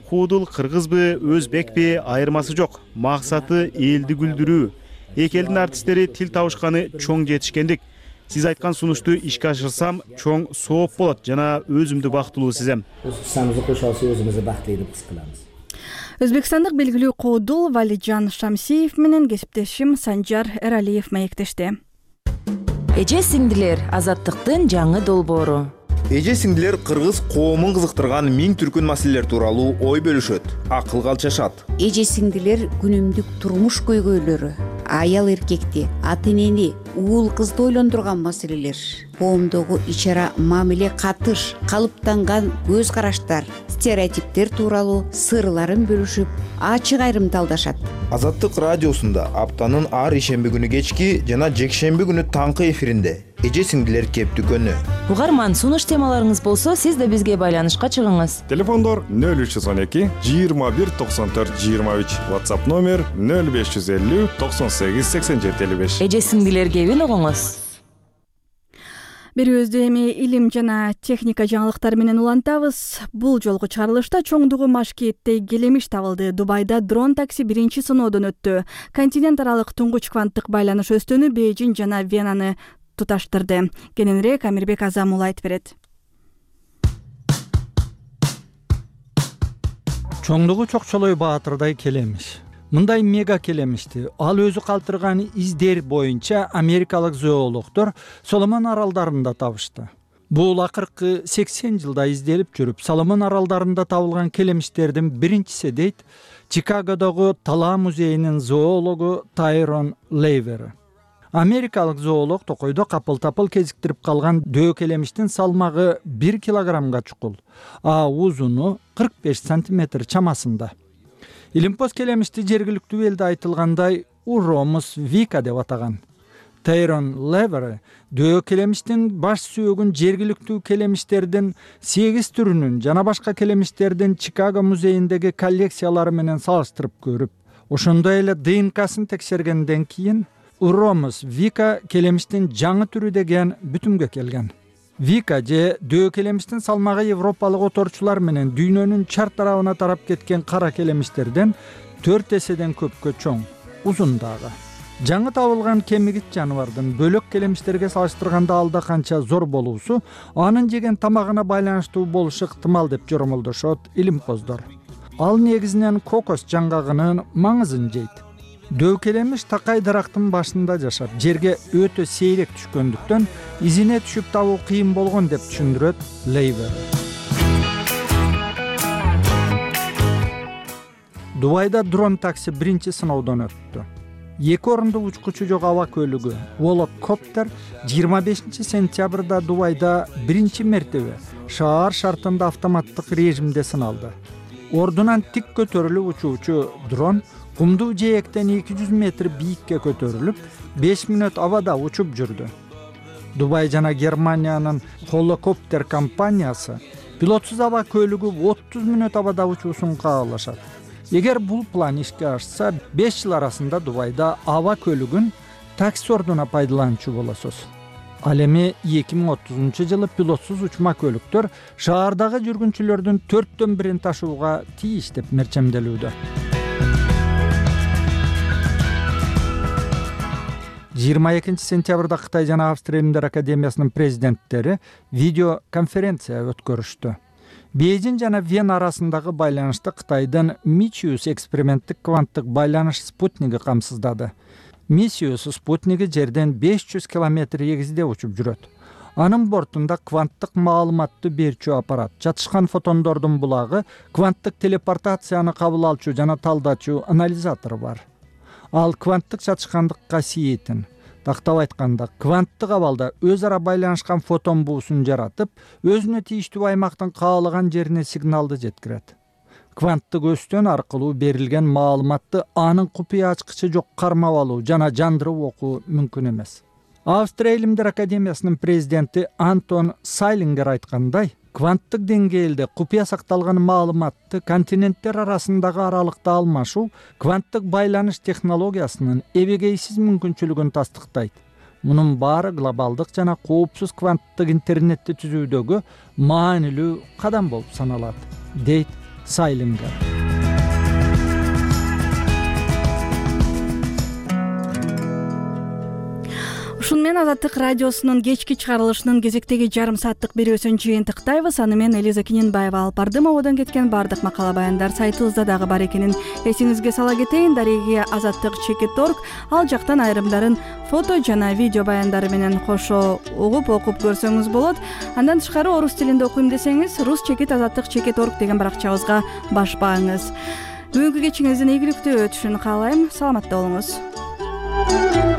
Куудул кыргызбы, өзбекпи айырмасы жок. Максаты элди күлдүрүү. Эки элдин артисттери тил табышканы чоң жетишкендик. Сиз айткан сунушту ишке ашырсам, чоң сооп болот жана өзүмдү бактылуу сезем. Самызды кошо алса өзүбүздү бактылуу деп хис кылабыз. Өзбекстандык белгилүү коодул Валиджан Шамсиев менен кесиптешим Санжар Эралиев маектешти. Эже сиңдилер, азаттыктын жаңы долбоору. Эже сиңдилер кыргыз коомун кызыктырган миң түркүн маселелер тууралуу ой бөлүшөт, акыл калчашат. Эже сиңдилер күнүмдүк турмуш көйгөйлөрү, аял эркекти, ата энени, уул кызды ойлондурган маселелер, коомдогу ич-ара мамиле катыш, калыптанган көз караштар, стереотиптер тууралуу сырларын бөлүшүп, ачык айрымталдашат. Азаттык радиосунда аптанын ар ишемби күнү кечки жана жекшемби күнү таңкы эфиринде эже сиңдилер кептүкөнү. Угарман, сунуш темаларыңыз болсо, сиз да бизге байланышка чыгыңыз. Телефондор нөл үч жүз он эки жыйырма бир токсон төрт жыйырма үч, WhatsApp номер нөл беш жүз элүү токсон сегиз сексен жети элүү беш. Эже сиңдилер кебин угуңуз. Берүүбүздү эми илим жана техника жаңылыктары менен улантабыз. Бул жолку чыгарылышта чоңдугу Машкеттей келемиш табылды. Дубайда дрон такси биринчи сыноодон өттү. Континент аралык туңгуч кванттык байланыш өстөнү Бейжиң жана Венаны туташтырды. Кененирээк Амирбек Азамул айтып берет. Чоңдугу Чокчолой Баатырдай келемиш. Мындай мега келемишти ал өзү калтырган издер боюнча америкалык зоологдор Соломон аралдарында табышты. Бул акыркы сексен жылда изделип жүрүп, Соломон аралдарында табылган келемиштердин биринчиси дейт Чикагодогу Тала музейинин зоологу Тайрон Лейвер. Америкалык зоолог токойдо капыл-тапыл кезиктирип калган дөө келемиштин салмагы бир килограммга чукул, а узуну кырк беш сантиметр чамасында. Илимпоз келемишти жергиликтүү элде айтылгандай Уромус Вика деп атаган. Тайрон Левер дөө келемиштин баш сүйөгүн жергиликтүү келемиштердин сегиз түрүнүн жана башка келемиштердин Чикаго музейиндеги коллекциялары менен салыштырып көрүп, ошондой эле ди эн касын текшергенден кийин Уромус Вика келемиштин жаңы түрү деген бүтүмгө келген. Вика же дөө келемиштин салмагы европалык оторчулар менен дүйнөнүн чар тарабына тарап кеткен кара келемиштерден төрт эседен көпкө чоң, узун дагы. Жаңы табылган кемигит жаныбардын бөлөк келемиштерге салыштырганда алда канча зор болуусу анын жеген тамагына байланыштуу болушу ыктымал деп жоромолдошот илимпоздор. Ал негизинен кокос жаңгагынын маңызын жейт. Дөө келемиш такай дарактын башында жашап, жерге өтө сейрек түшкөндүктөн изине түшүп табуу кыйын болгон деп түшүндүрөт Лейвер. Дубайда дрон такси биринчи сыноодон өттү. Эки орундуу учкучу жок аба көлүгү Волокоптер жыйырма бешинчи сентябрда Дубайда биринчи мертебе шаар шартында автоматтык режимде сыналды. Ордунан тик көтөрүлүп учуучу дрон кумдуу жээктен эки жүз метр бийикке көтөрүлүп, беш мүнөт абада учуп жүрдү. Дубай жана Германиянын Холокоптер компаниясы пилотсуз аба көлүгү отуз мүнөт абада учуусун каалашат. Эгер бул план ишке ашса, беш жыл арасында Дубайда аба көлүгүн такси ордуна пайдаланчу болосуз. Ал эми эки миң отузунчу жылы пилотсуз учма көлүктөр шаардагы жүргүнчүлөрдүн төрттөн бирин ташууга тийиш деп мерчемделүүдө. жыйырма экинчи сентябрда Кытай жана Австрия Илимдер академиясынын президенттери видео конференция өткөрүштү. Бейжиң жана Вена арасындагы байланышты Кытайдын Мичиус эксперименттик кванттык байланыш спутниги камсыздады. Мичиус спутниги жерден беш жүз километр эгизде учуп жүрөт. Анын бортунда кванттык маалыматты берчү аппарат, жатышкан фотондордун булагы, кванттык телепортацияны кабыл алчу жана талдачу анализатор бар. Ал кванттык жатышкандык касиетин, тактап айтканда, кванттык абалда өз ара байланышкан фотон буусун жаратып, өзүнө тийиштүү аймактын каалаган жерине сигналды жеткирет. Кванттык өстөн аркылуу берилген маалыматты анын купуя ачкычы жок кармап алуу жана жандырып окуу мүмкүн эмес. Австрия илимдер академиясынын президенти Антон Сайлингер айткандай, кванттык деңгээлде купуя сакталган маалыматты континенттер арасындагы аралыкта алмашуу кванттык байланыш технологиясынын эбегейсиз мүмкүнчүлүгүн тастыктайт. Мунун баары глобалдык жана коопсуз кванттык интернетти түзүүдөгү маанилүү кадам болуп саналат, дейт Сайлингер. Ушуну менен Азаттык радиосунун кечки чыгарылышынын кезектеги жарым сааттык берүүсүн жыйынтыктайбыз. Аны мен Элиза Киненбаева алып бардым. Ободон кеткен баардык макала баяндар сайтыбызда дагы бар экенин эсиңизге сала кетейин. Дареги азаттык чекит точка орг, ал жактан айрымдарын фото жана видео баяндары менен кошо угуп окуп көрсөңүз болот. Андан тышкары орус тилинде окуйм десеңиз, рус чекит азаттык чекит точка орг деген баракчабызга башпаңыз. Бүгүнкү кечиңиздин ийгиликтүү өтүшүн каалайм. Саламатта болуңуз.